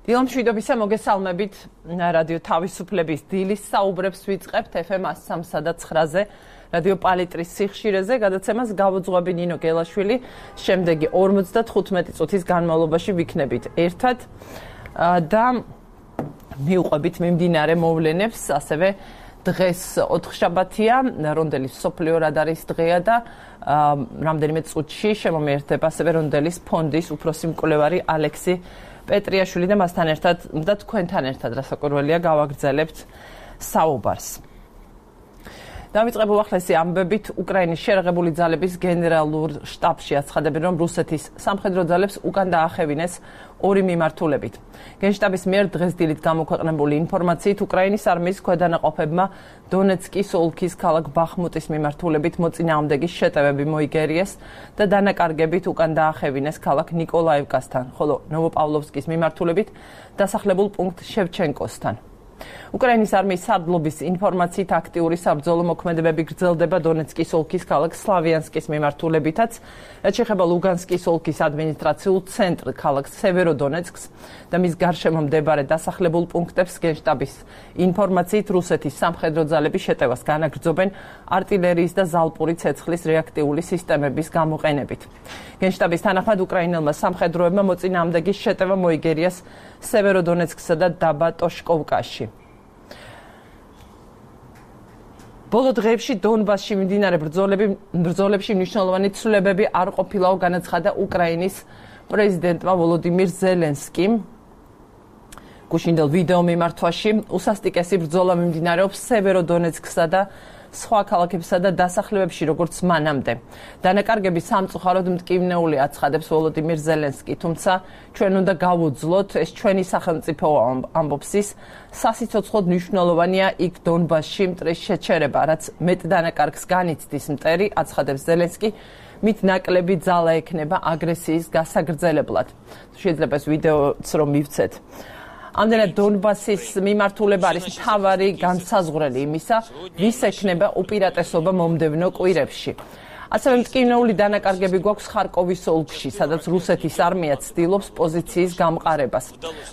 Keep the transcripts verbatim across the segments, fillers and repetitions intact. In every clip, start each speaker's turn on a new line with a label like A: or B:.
A: დილამ მშვიდობისა, მოგესალმებით რადიო თავისუფლების დილის საუბრებს ვიწყებთ ეფ ემ one oh three და nine-ზე რადიო პალიტრის სიხშირეზე, გადაცემას გავუძღვები ნინო გელაშვილი, შემდეგი ორმოცდათხუთმეტი წუთის განმავლობაში ვიქნებით ერთად და მივყვებით მიმდინარე მოვლენებს, ასევე დღეს ოთხშაბათია, რონდელის მსოფლიო რადარის დღეა და რამდენიმე წუთში შემომიერდება ასევე რონდელის ფონდის უფროსი მკვლევარი ალექსი პეტრიაშვილი და მასთან ერთად და თქვენთან ერთად რასაკვირველია გავაგრძელებთ საუბარს. დავიწყებ უახლესი ამბებით, უკრაინის შერაღებული ძალების გენერალურ შტაბში აცხადებენ, რომ რუსეთის სამხედრო ძალებს უკან დაახევინეს ორი მიმართულებით. გენშტაბის მიერ დღეს დილით გამოქვეყნებული ინფორმაციით, უკრაინის არმიის ქვედანაყოფებმა დონეცკის ოლქის ქალაქ ბახმუტის მიმართულებით მოწინააღმდეგის შეტევები მოიგერიეს და დანაკარგებით უკან დაახევინეს ქალაქ ნიკოლაევკასთან, ხოლო ნოვოპავლოვსკის მიმართულებით დასახლებულ პუნქტ შევჩენკოსთან. უკრაინის არმიის სარდლობის ინფორმაციით აქტიური საბრძოლო მოქმედებები გრძელდება დონეცკის ოლქის ქალაქ სლავიანსკის მიმართულებითაც, რაც შეეხება ლუგანსკის ოლქის ადმინისტრაციულ ცენტრ ქალაქ სევეროდონეცკს და მის გარშემო მდებარე დასახლებულ პუნქტებს გენშტაბის ინფორმაციით რუსეთის სამხედრო ძალები შეტევას განაგრძობენ არტილერიის და ზალპური ცეცხლის რეაქტიული სისტემების გამოყენებით. გენშტაბის თანახმად უკრაინელმა სამხედროებმა მოწინააღმდეგის შეტევა მოიგერიეს სევეროდონეცკსა და დაბა ტოშკოვკაში. ბოლო დღეებში დონბასში მიმდინარე ბრძოლებში მნიშვნელოვანი ცვლილებები არ ყოფილაო, განაცხადა უკრაინის პრეზიდენტმა ვოლოდიმირ ზელენსკიმ. გუშინდელ ვიდეო მიმართვაში უსასტიკესი ბრძოლა მიმდინარეობს სევეროდონეცკსა და სხვა ქალაქებსა და დასახლებებში, როგორც მანამდე. დანაკარგები სამწუხაროდ მტკივნეული აცხადებს ვოლოდიმირ ზელენსკი, თუმცა ჩვენ უნდა გავუძლოთ, ეს ჩვენი სახელმწიფოა, ამბობს ის, სასიცოცხლოდ მნიშვნელოვანია იქ დონბასში მტრის შეჩერება, რაც მეტ დანაკარგს განიცდის მტერი, აცხადებს ზელენსკი, მით ნაკლები ძალა ექნება აგრესიის გასაგრძელებლად. შეიძლება ეს ვიდეოც რომ მივცეთ. ამდენად დონბასის მიმართულება არის მთავარი განსაზღვრელი იმისა, ვის ექნება უპირატესობა მომდევნო კვირებში. ასევე მტკივნეული დანაკარგები გვაქვს ხარკოვის ოლქში, სადაც რუსეთის არმია ცდილობს პოზიციის გამყარებას.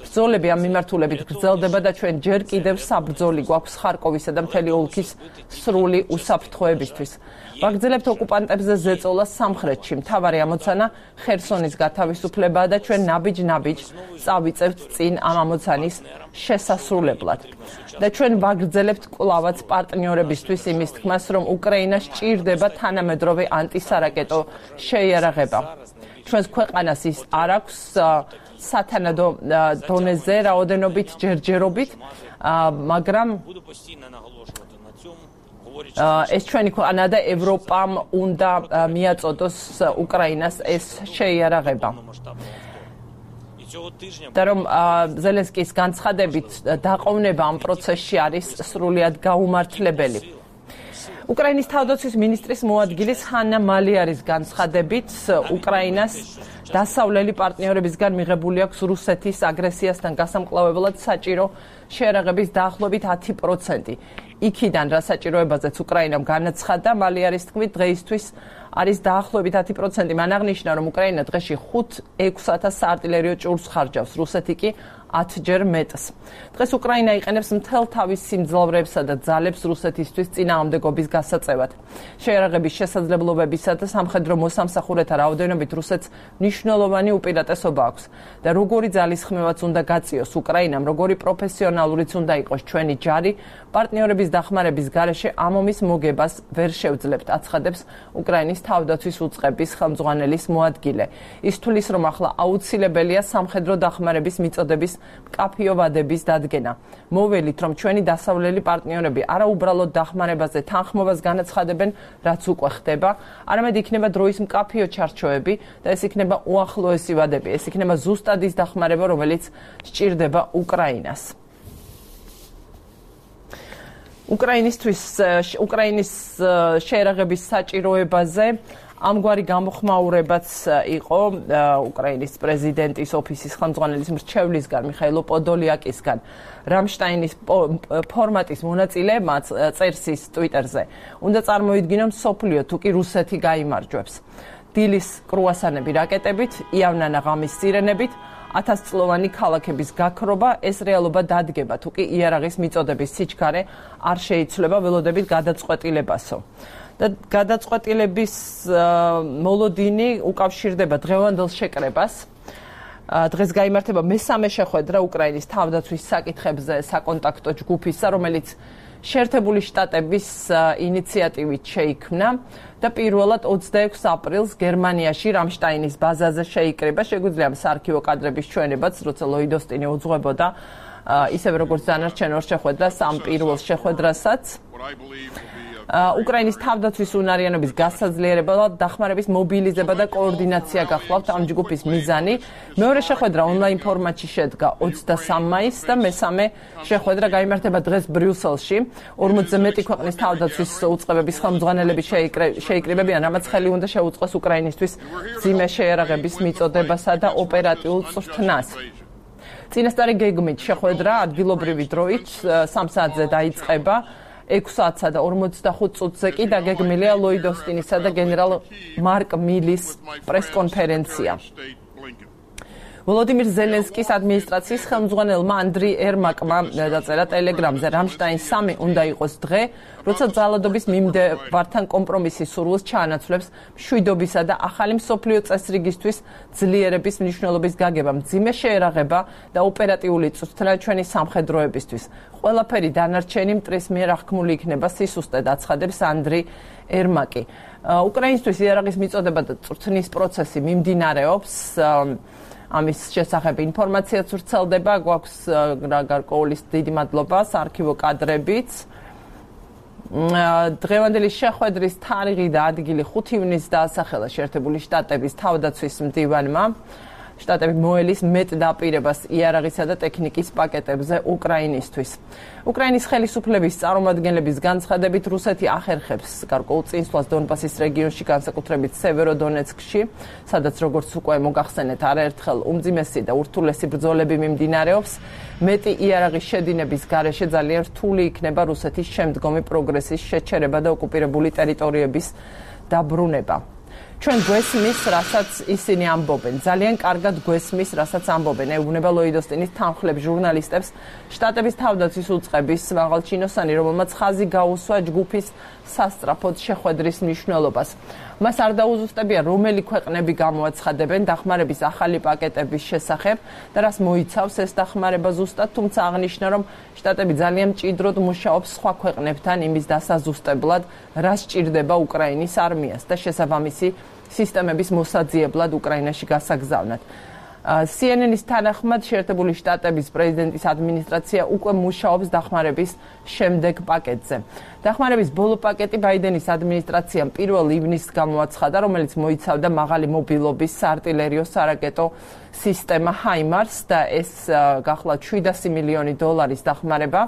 A: ბრძოლები ამ მიმართულებით გრძელდება და ჩვენ ჯერ კიდევ საბრძოლი გვაქვს ხარკოვისა და მთელი ოლქის სრული უსაფრთხოებისთვის. ვაგრძელებთ ოკუპანტებზე ზეწოლა სამხრეთში. მთავარი ამოცანა ხერსონის გათავისუფლებაა და ჩვენ ნაბიჯ-ნაბიჯ წავიწევთ წინ ამ ამოცანის შესასრულებლად. და ჩვენ ვაგრძელებთ კვლავაც პარტნიორებისთვის იმის თქმას, რომ უკრაინა სჭირდება თანამედროვე ანტისარაკეტო შეიარაღება. ჩვენს ქვეყანას ის არ აქვს სათანადო დონეზე რაოდენობით ჯერჯერობით, მაგრამ ეს ჩვენი ქვეყანა და ევროპამ უნდა მიაწოდოს უკრაინას ეს შეიარაღება. და რომ ზელენსკის განცხადებით დაყოვნება ამ პროცესში არის სრულიად გაუმართლებელი. უკრაინის თავდაცვის მინისტრის მოადგილის ჰანა მალიარის განცხადებით უკრაინას დასავლელი პარტნიორებისგან მიღებული აქვს რუსეთის აგრესიასთან გასამკლავებლად საჭირო შეიარაღების დაახლოებით ათი პროცენტი. იქიდან რა საჭიროებაზეც უკრაინამ განაცხადა, მალიარის თქმით დღეისთვის არის დაახლოებით ათი პროცენტი. მან აღნიშნა, რომ უკრაინა დღეში ხუთ ექვს ათას საარტილერიო ჭურს ხარჯავს, რუსეთი კი ათჯერ მეტს. დღეს უკრაინა იყენებს მთელ თავის სიმძლავრეებსა და ძალებს რუსეთისთვის წინააღმდეგობის გასაწევად. შეიარაღების შესაძლებლობებისა და სამხედრო მოსამსახურეთა რაოდენობით რუსეთს მნიშვნელოვანი უპირატესობა აქვს და როგორი ძალისხმევაც უნდა გაწიოს უკრაინამ, როგორი პროფესიონალურიც უნდა იყოს ჩვენი ჯარი, პარტნიორების დახმარების გარეშე ამ ომის მოგებას ვერ შევძლებთ, აცხადებს უკრაინის თავდაცვის უწყების ხელმძღვანელის მოადგილე. ის თვლის, რომ ახლა აუცილებელია სამხედრო დახმარების მიწოდების მკაფიო ვადების დადგენა. მოველით, რომ ჩვენი დასავლელი პარტნიორები არა უბრალოდ დახმარებაზე თანხმობას განაცხადებენ, რაც უკვე ხდება, არამედ იქნება დროის მკაფიო ჩარჩოები და ეს იქნება უახლოესი ვადები. ეს იქნება ზუსტად ის დახმარება, რომელიც სჭირდება უკრაინას. უკრაინისთვის უკრაინის შეიარაღების საჭიროებაზე ამგვარი გამოხმაურებაც იყო უკრაინის პრეზიდენტის ოფისის ხელმძღვანელის მრჩევლისგან მიხაილ პოდოლიაკისგან. რამშტაინის ფორმატის მონაწილეებმა წერს ის ტვიტერზე. უნდა წარმოიდგინონ მსოფლიო თუ კი რუსეთი გაიმარჯვებს. დილის კრუასანები რაკეტებით, იავნანა ღამის სირენებით, ათასწლოვანი ქალაქების გაქრობა, ეს რეალობა დადგება, თუ კი იარაღის მიწოდების სიჩქარე არ შეიცვლება ველოდებით გადაწყვეტილებასო. და გადაწყვეტილების მოლოდინი უკავშირდება დღევანდელ შეკრებას. დღეს გაიმართება მესამე შეხვედრა უკრაინის თავდაცვის საკითხებზე საკონტაქტო ჯგუფისა, რომელიც შეერთებული შტატების ინიციატივით შეიქმნა და პირველად ოცდაექვსი აპრილს გერმანიაში რამშტაინის ბაზაზე შეიკრიბა. შეგვიძლია საარქივო კადრების ჩვენებაც, როცა ლოიდ ოსტინი უძღვებოდა ისევე როგორც დანარჩენ ორ შეხვედრას, ამ პირველ შეხვედრასაც. უკრაინის თავდაცვის უნარიანობის გასაძლიერება და დახმარების მობილიზება და კოორდინაცია გახლავთ ამ ჯგუფის მიზანი. მეორე შეხვედრა ონლაინ ფორმატში შედგა ოცდასამი მაისს და მესამე შეხვედრა გაიმართება დღეს ბრიუსელში. ორმოცზე მეტი ქვეყნის თავდაცვის უწყებების ხელმძღვანელები შეიკრიბებიან, რამაც ხელი უნდა შეუწყოს უკრაინისთვის მძიმე შეიარაღების მიწოდებასა და ოპერატიულ წვრთნას. წინასწარი გეგმით შეხვედრა ადგილობრივი დროით სამ საათზე დაიწყება. ექვს საათსა და ორმოცდახუთ წუთზე კი დაგეგმილია ლოიდ ოსტინისა და გენერალ მარკ მილის პრესკონფერენცია. ვოლოდიმირ ზელენსკის ადმინისტრაციის ხელმძღვანელმა ანდრი ერმაკმა დაწერა ტელეგრამზე, რამშტაინ სამი უნდა იყოს დღე, როცა ძალადობის მიმდევართან კომპრომისის სურვილს ჩაანაცვლებს მშვიდობისა და ახალი მსოფლიო წესრიგისთვის ძლიერების მნიშვნელობის გაგება, მძიმე შეერაღება და ოპერატიული წვრთნა ჩვენი სამხედროებისთვის. ყველაფერი დანარჩენი მტრის მიერ აღქმული იქნება, სისუსტედ აცხადებს ანდრი ერმაკი. უკრაინისთვის იარაღის მიწოდება და წვრთნის პროცესი მიმდინარეობს. ამის შესახებ ინფორმაციაც ვრცელდება, გვაქვს გარკვეული დიდი მადლობა საარქივო კადრებიც. დღევანდელი შეხვედრის თარიღი და ადგილი ხუთი ივნისს დაასახელა შეერთებული შტატების თავდაცვის მდივანმა. შტატები მოელის მეტ დაპირებას იარაღისა და ტექნიკის პაკეტებზე უკრაინისთვის. უკრაინის ხელისუფლების წარმომადგენლების განცხადებით, რუსეთი ახერხებს გარკვეულ წინსვლას დონბასის რეგიონში, განსაკუთრებით სევეროდონეცკში, სადაც როგორც უკვე მოგახსენეთ, არაერთხელ უმძიმესი და ურთულესი ბრძოლები მიმდინარეობს. მეტი იარაღის შედინების გარეშე ძალიან რთული იქნება რუსეთის შემდგომი პროგრესის შეჩერება და ოკუპირებული ტერიტორიების დაბრუნება. ჩვენ გვესმის, რასაც ისინი ამბობენ. ძალიან კარგად გვესმის, რასაც ამბობენ. ეუბნება ლოიდ ოსტინის თანხლებ ჟურნალისტებს შტატების თავდაცვის უწყების მაღალჩინოსანი, რომელმაც ხაზი გაუსვა ჯგუფის სასწრაფოდ შეხვედრის მნიშვნელობას. მას არ დაუზუსტებია, რომელი ქვეყნები გამოაცხადებენ დახმარების ახალი პაკეტების შესახებ და რას მოიცავს ეს დახმარება ზუსტად, თუმცა აღნიშნა, რომ შტატები ძალიან მჭიდროდ მუშაობს სხვა ქვეყნებთან იმის დასაზუსტებლად, რა სჭირდება უკრაინის არმიას და შესაბამისი სისტემების მოსაძიებლად უკრაინაში გასაგზავნად. C N N-ის თანახმად შეერთებული შტატების პრეზიდენტის ადმინისტრაცია უკვე მუშაობს დახმარების შემდეგ პაკეტზე. დახმარების ბოლო პაკეტი ბაიდენის ადმინისტრაციამ პირველ ივნისს გამოაცხადა, რომელიც მოიცავდა მაღალი მობილობის საარტილერიო სარაკეტო სისტემა ჰაიმარს და ეს გახლავთ შვიდასი მილიონი დოლარის დახმარება,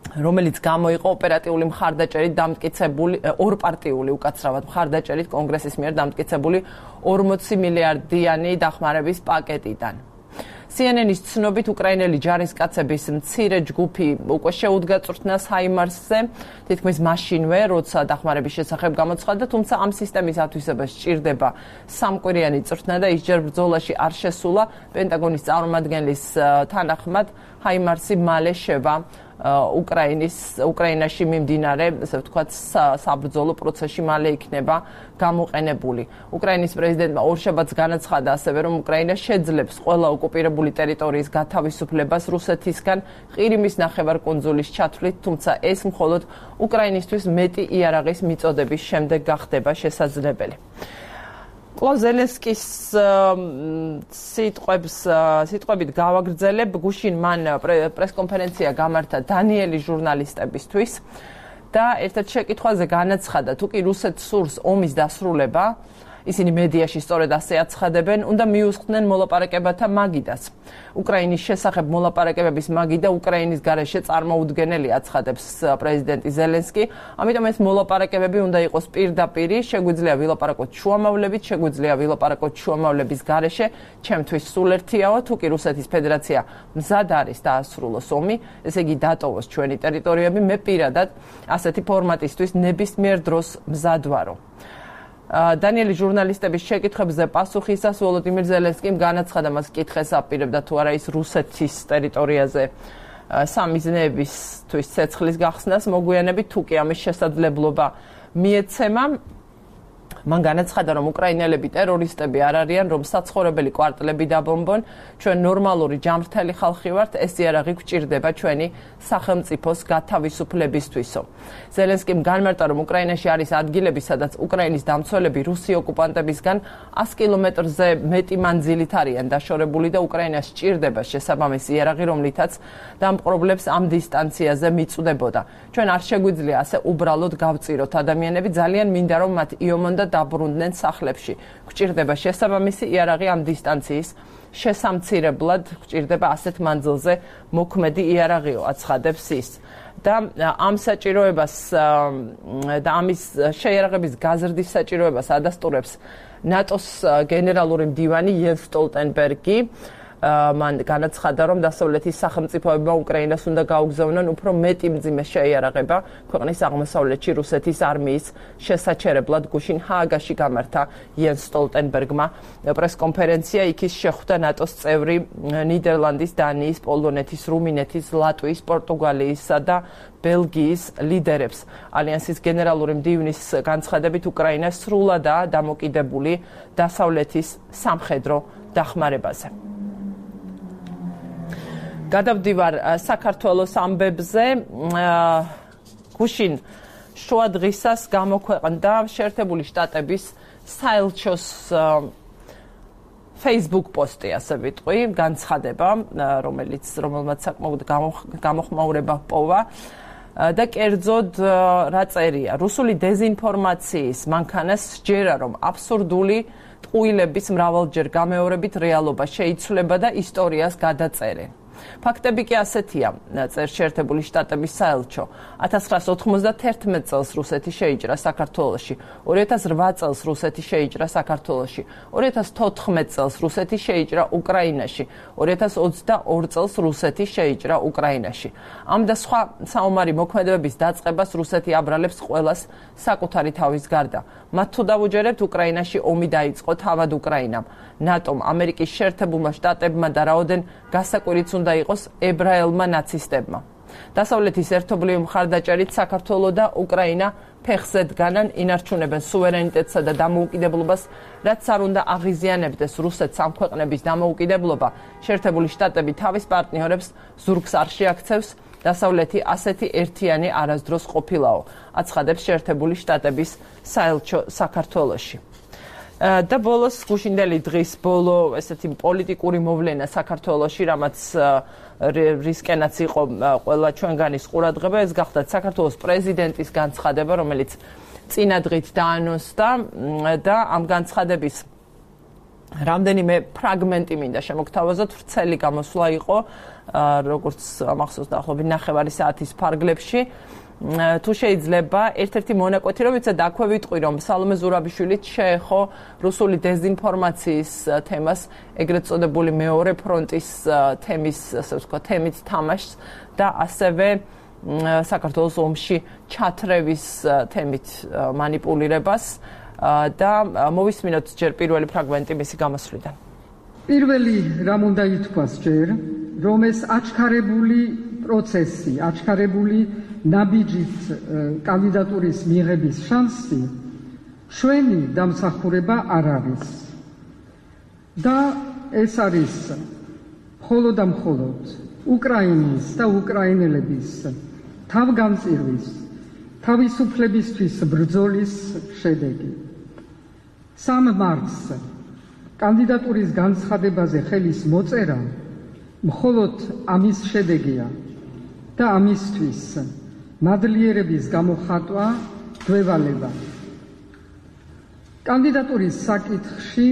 A: რომელიც გამოიყო ოპერატიული მხარდაჭერით დამტკიცებული ორპარტიული უკაცრავად მხარდაჭერით კონგრესის მიერ დამტკიცებული ორმოცი მილიარდიანი დახმარების პაკეტიდან. C N N-ის ცნობით უკრაინელი ჯარისკაცების მცირე ჯგუფი უკვე შეუდგა წვრთნას ჰაიმარსზე, თითქმის მაშინვე, როცა დახმარების შესახებ გამოცხადდა, თუმცა ამ სისტემის ათვისებას სჭირდება სამკვირიანი წვრთნა და ის ჯერ ბრძოლაში არ შესულა. პენტაგონის წარმომადგენლის თანახმად ჰაიმარსი მალე შევა უკრაინის უკრაინაში მიმდინარე, ასე ვთქვათ, საბრძოლო პროცესში მალე იქნება გამოყენებული. უკრაინის პრეზიდენტმა ორშაბათს განაცხადა ასევე, რომ უკრაინა შეძლებს ყველა ოკუპირებული ტერიტორიის გათავისუფლებას რუსეთისგან ყირიმის ნახევარკუნძულის ჩათვლით, თუმცა ეს მხოლოდ უკრაინისთვის მეტი იარაღის მიწოდების შემდეგ გახდება შესაძლებელი. კლაუს ზელენსკის სიტყვებს სიტყვებით გავაგრძელებ, გუშინ მან პრესკონფერენცია გამართა დანიელი ჟურნალისტებისთვის და ერთ-ერთ შეკითხვაზე განაცხადა, თუ კი რუსეთს სურს ომის დასრულება, ისინი მედიაში სწორედ ასე აცხადებენ, უნდა მიუსხდნენ მოლაპარაკებათა მაგიდას. უკრაინის შესახებ მოლაპარაკებების მაგიდა უკრაინის გარეშე წარმოუდგენელი, აცხადებს პრეზიდენტი ზელენსკი. ამიტომ ეს მოლაპარაკებები უნდა იყოს პირდაპირ, შეგვიძლია ვილაპარაკოთ შუამავლებით, შეგვიძლია ვილაპარაკოთ შუამავლების გარეშე. ჩემთვის სულ ერთიაო, თუ კი რუსეთის ფედერაცია მზად არის დაასრულოს ომი, ესე იგი დატოვოს ჩვენი ტერიტორიები, მე პირადად ასეთი ფორმატისთვის ნებისმიერ დროს მზად ვარო. დანიელი ჟურნალისტების შეკითხვებზე პასუხისას ვოლოდიმირ ზელენსკიმ განაცხადა, მას კითხეს აპირებდა თუ არა ის რუსეთის ტერიტორიაზე სამიზნეებისთვის ცეცხლის გახსნას მოგვიანებით, თუ კი ამის შესაძლებლობა მიეცემა. მან განაცხადა, რომ უკრაინელები ტერორისტები არ არიან, რომ საცხოვრებელი კვარტლები დაბომბონ, ჩვენ ნორმალური ჯანმრთელი ხალხი ვართ, ეს იარაღი გვჭირდება ჩვენი სახელმწიფოს გათავისუფლებისთვისო. ზელენსკიმ განმარტა, რომ უკრაინაში არის ადგილები, სადაც უკრაინის დამცველები რუსი ოკუპანტებისგან ას კილომეტრზე მეტი მანძილით არიან დაშორებული და უკრაინას სჭირდება შესაბამისი იარაღი, რომლითაც დამპყრობლებს ამ დისტანციაზე მიწვდებოდა. ჩვენ არ შეგვიძლია ასე უბრალოდ გავწიროთ ადამიანები, ძალიან მინდა რომ მათ იომონ და დაბრუნდნენ სახლებში. გვჭირდება შესაბამისი იარაღი ამ დისტანციის შესამცირებლად, გვჭირდება ასეთ მანძილზე მოქმედი იარაღიო, აცხადებს ის. და ამ საჭიროებას და ამის შეიარაღების გაზრდის საჭიროებას ადასტურებს ნატოს გენერალური მდივანი იენს სტოლტენბერგი. მან განაცხადა, რომ დასავლეთის სახელმწიფოებმა უკრაინას უნდა გაუგზავნონ უფრო მეტი მძიმე შეიარაღება ქვეყნის აღმოსავლეთში რუსეთის არმიის შესაჩერებლად. გუშინ ჰააგაში გამართა იენს სტოლტენბერგმა პრესკონფერენცია, იქ ის შეხვდა ნატოს წევრი ნიდერლანდის, დანიის, პოლონეთის, რუმინეთის, ლატვიის, პორტუგალიისა და ბელგიის ლიდერებს. ალიანსის გენერალური მდივნის განცხადებით, უკრაინა სრულადაა დამოკიდებული დასავლეთის სამხედრო დახმარებაზე. გადავდივარ საქართველოს ამბებზე. გუშინ შუა დღისას გამოქვეყნდა შეერთებული შტატების საელჩოს Facebook პოსტი, ასე ვიტყვი, განცხადება, რომელიც რომელმაც საკმაოდ გამოხმაურება ჰპოვა და კერძოდ რა წერია, რუსული დეზინფორმაციის მანქანას სჯერა, რომ აბსურდული ტყუილების მრავალჯერ გამეორებით რეალობა შეიცვლება და ისტორიას გადაწერენ. ფაქტები კი ასეთია, წერს შეერთებული შტატების საელჩო. ათას ცხრაასი ოთხმოცდათერთმეტ წელს რუსეთი შეიჭრა საქართველოში, ორი ათას რვა წელს რუსეთი შეიჭრა საქართველოში, ორი ათას თოთხმეტ წელს რუსეთი შეიჭრა უკრაინაში, ორი ათას ოცდაორ წელს რუსეთი შეიჭრა უკრაინაში. ამ და სხვა საომარი მოქმედებების დაწყებას რუსეთი აბრალებს ყველას საკუთარი თავის გარდა. მათ თუ დავუჯერებთ, უკრაინაში ომი დაიწყო თავად უკრაინამ, ნატომ, ამერიკის შეერთებულმა შტატებმა და რაოდენ გასაკვირიც უნდა იყოს ებრაელმა ნაცისტებმა. დასავლეთის ერთობლივი მხარდაჭერით საქართველო და უკრაინა ფეხზე დგანან, ინარჩუნებენ სუვერენიტეტსა და დამოუკიდებლობას, რაც არ უნდა აღიზიანებდეს რუსეთს ამ ქვეყნების დამოუკიდებლობა. შეერთებული შტატები თავის პარტნიორებს ზურგს არ შეაქცევს, დასავლეთი ასეთი ერთიანი არასდროს ყოფილაო, აცხადებს შეერთებული შტატების საელჩო საქართველოში. და ბოლოს გუშინდელი დღის ბოლო ესეთი პოლიტიკური მოვლენა საქართველოში, რამაც რისკენაც იყო ყველა ჩვენგანის ყურადღება, ეს გახდა საქართველოს პრეზიდენტის განცხადება, რომელიც წინა დღით დაანონსდა და ამ განცხადების რამდენიმე ფრაგმენტი მინდა შემოგთავაზოთ. ვრცელი გამოსვლა იყო, როგორც მახსოვს დაახლოებით ნახევარი საათის ფარგლებში. თუ შეიძლება ერთ-ერთი მონაკვეთი, რომელიც აქვე ვიტყვი, რომ სალომე ზურაბიშვილიც შეეხო რუსული დეზინფორმაციის თემას, ეგრეთ წოდებული მეორე ფრონტის თემის, ასე ვთქვათ, თემით თამაშს და ასევე საქართველოს ომში ჩათრევის თემით მანიპულირებას და მოვისმინოთ ჯერ პირველი ფრაგმენტი მისი გამოსვლიდან.
B: პირველი რამ უნდა ითქვას ჯერ, რომ ეს აჩქარებული პროცესი, აჩქარებული ნაბიჯით კანდიდატურის მიღების შანსი ჩვენი დამსახურება არ არის. და ეს არის მხოლოდ და მხოლოდ უკრაინის და უკრაინელების თავგანწირვის, თავისუფლებისთვის ბრძოლის შედეგი. სამ მარტს კანდიდატურის განცხადებაზე ხელის მოწერა მხოლოდ ამის შედეგია და ამისთვის მადლიერების გამოხატვა გვევალება. კანდიდატურის საკითხში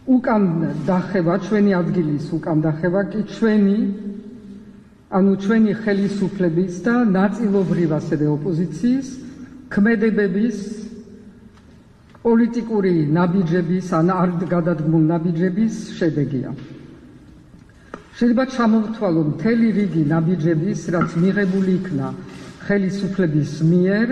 B: უკან დახევა, ჩვენი ადგილის უკან დახევა კი ჩვენი, ანუ ჩვენი ხელისუფლების და ნაწილობრივ ასევე ოპოზიციის ქმედებების პოლიტიკური ნაბიჯების, ან არ გადადგმულ ნაბიჯების შედეგია. შეიძლება ჩამოვთვალო მთელი რიგი ნაბიჯების, რაც მიღებული იქნა ხელისუფლების მიერ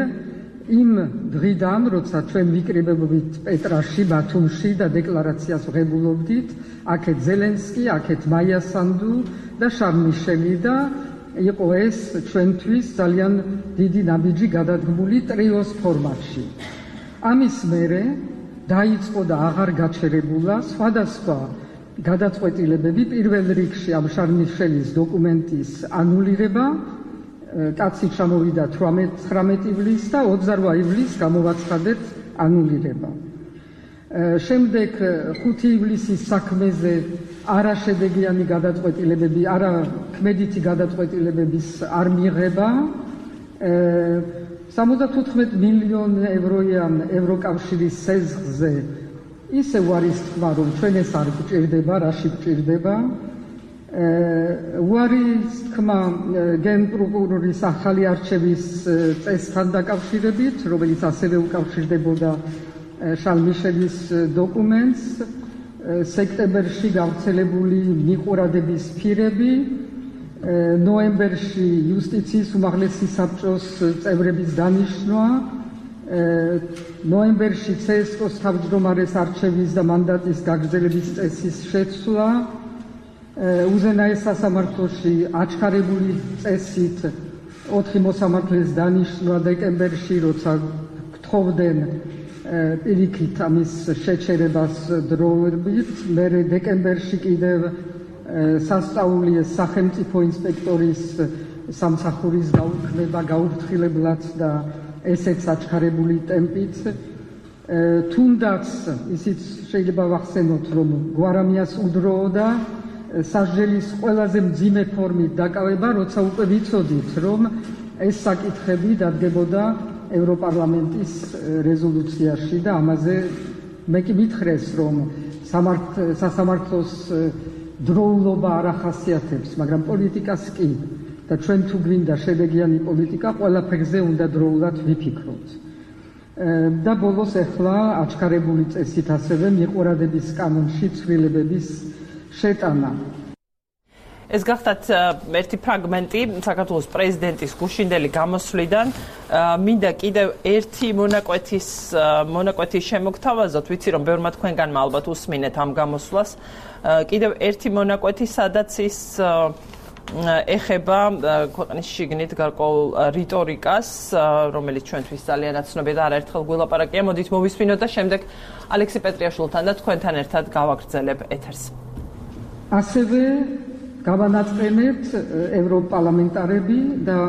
B: იმ დღიდან, როცა ჩვენ ვიკრიბებდით პეტრაში, ბათუმში და დეკლარაციას ვღებულობდით, აქეთ ზელენსკი, აქეთ მაია სანდუ და შარლ მიშელი და იყო ეს ჩვენთვის ძალიან დიდი ნაბიჯი გადადგმული ტრიოს ფორმატში. ამის მერე დაიწყო და აღარ გაჩერებულა სხვადასხვა გადაწყვეტილებები, პირველ რიგში ამ შარლ მიშელის დოკუმენტის ანულირება, კაცი ჩამოვიდა ცხრამეტი ივლისს და ოცდარვა ივლისს გამოვაცხადეთ ანულირება. შემდეგ ხუთი ივლისის საქმეზე არაშედეგიანი გადაწყვეტილებები, არა ქმედითი გადაწყვეტილებების არ მიღება. სამოცდათოთხმეტ მილიონ ევროიან ევროკავშირის სეზღზე ისევ არის თქმა, რომ ჩვენ ეს არ გვჭირდება, რაში გვჭირდება. უარის თქმა გენპროკურორის ახალი არჩევის წესთან დაკავშირებით, რომელიც ასევე უკავშირდებოდა შარლ მიშელის დოკუმენტს, სექტემბერში გავრცელებული მიყურადების ფირები, ნოემბერში იუსტიციის უმაღლესი საბჭოს წევრების დანიშვნა, ნოემბერში ცესკოს თავმჯდომარეს არჩევის და მანდატის გაგრძელების წესის შეცვლა, უზენაეს სასამართლოში აჩქარებული წესით ოთხი მოსამართლეს დანიშვნა დეკემბერში, როცა გთხოვდნენ პირიქით ამის შეჩერებას დროებით, მერე დეკემბერში კიდევ სასწაულიეს სახელმწიფო ინსპექტორის სამსახურის გაუქმება გაუფრთხილებლად და ესეც აჩქარებული ტემპით. თუნდაც ისიც შეიძლება ვახსენოთ, რომ გვარამიას უდროოდა სასჯელის ყველაზე მძიმე ფორმით დაკავება, როცა უკვე ვიცოდით, რომ ეს საკითხები დადგებოდა ევროპარლამენტის რეზოლუციაში და ამაზე მე კი მითხრეს, რომ სასამართლოს დროულობა არ ახასიათებს, მაგრამ პოლიტიკას კი და ჩვენ თუ გვინდა შედეგიანი პოლიტიკა, ყველაფერზე უნდა დროულად ვიფიქროთ. და ბოლოს ახლა აჩქარებული წესით ასევე მიყურადების კანონში ცვლილებების შეტანა.
A: ეს გახდათ ერთი ფრაგმენტი საქართველოს პრეზიდენტის გუშინდელი გამოსვლიდან. მინდა კიდევ ერთი მონაკვეთის მონაკვეთის შემოგთავაზოთ, ვიცი რომ ბევრმა თქვენგანმა ალბათ უსმინეთ ამ გამოსვლას. კიდევ ერთი მონაკვეთი, სადაც ის ეხება ქვეყნის შიგნით გარკვეულ რიტორიკას, რომელიც ჩვენთვის ძალიან აცნობია და არაერთხელ გველაპარაკია. მოდით მოვისმინოთ და შემდეგ ალექსი პეტრიაშვილთან და თქვენთან ერთად გავაგრძელებ ეთერს.
B: ასევე გავანაწყენეთ ევროპარლამენტარები და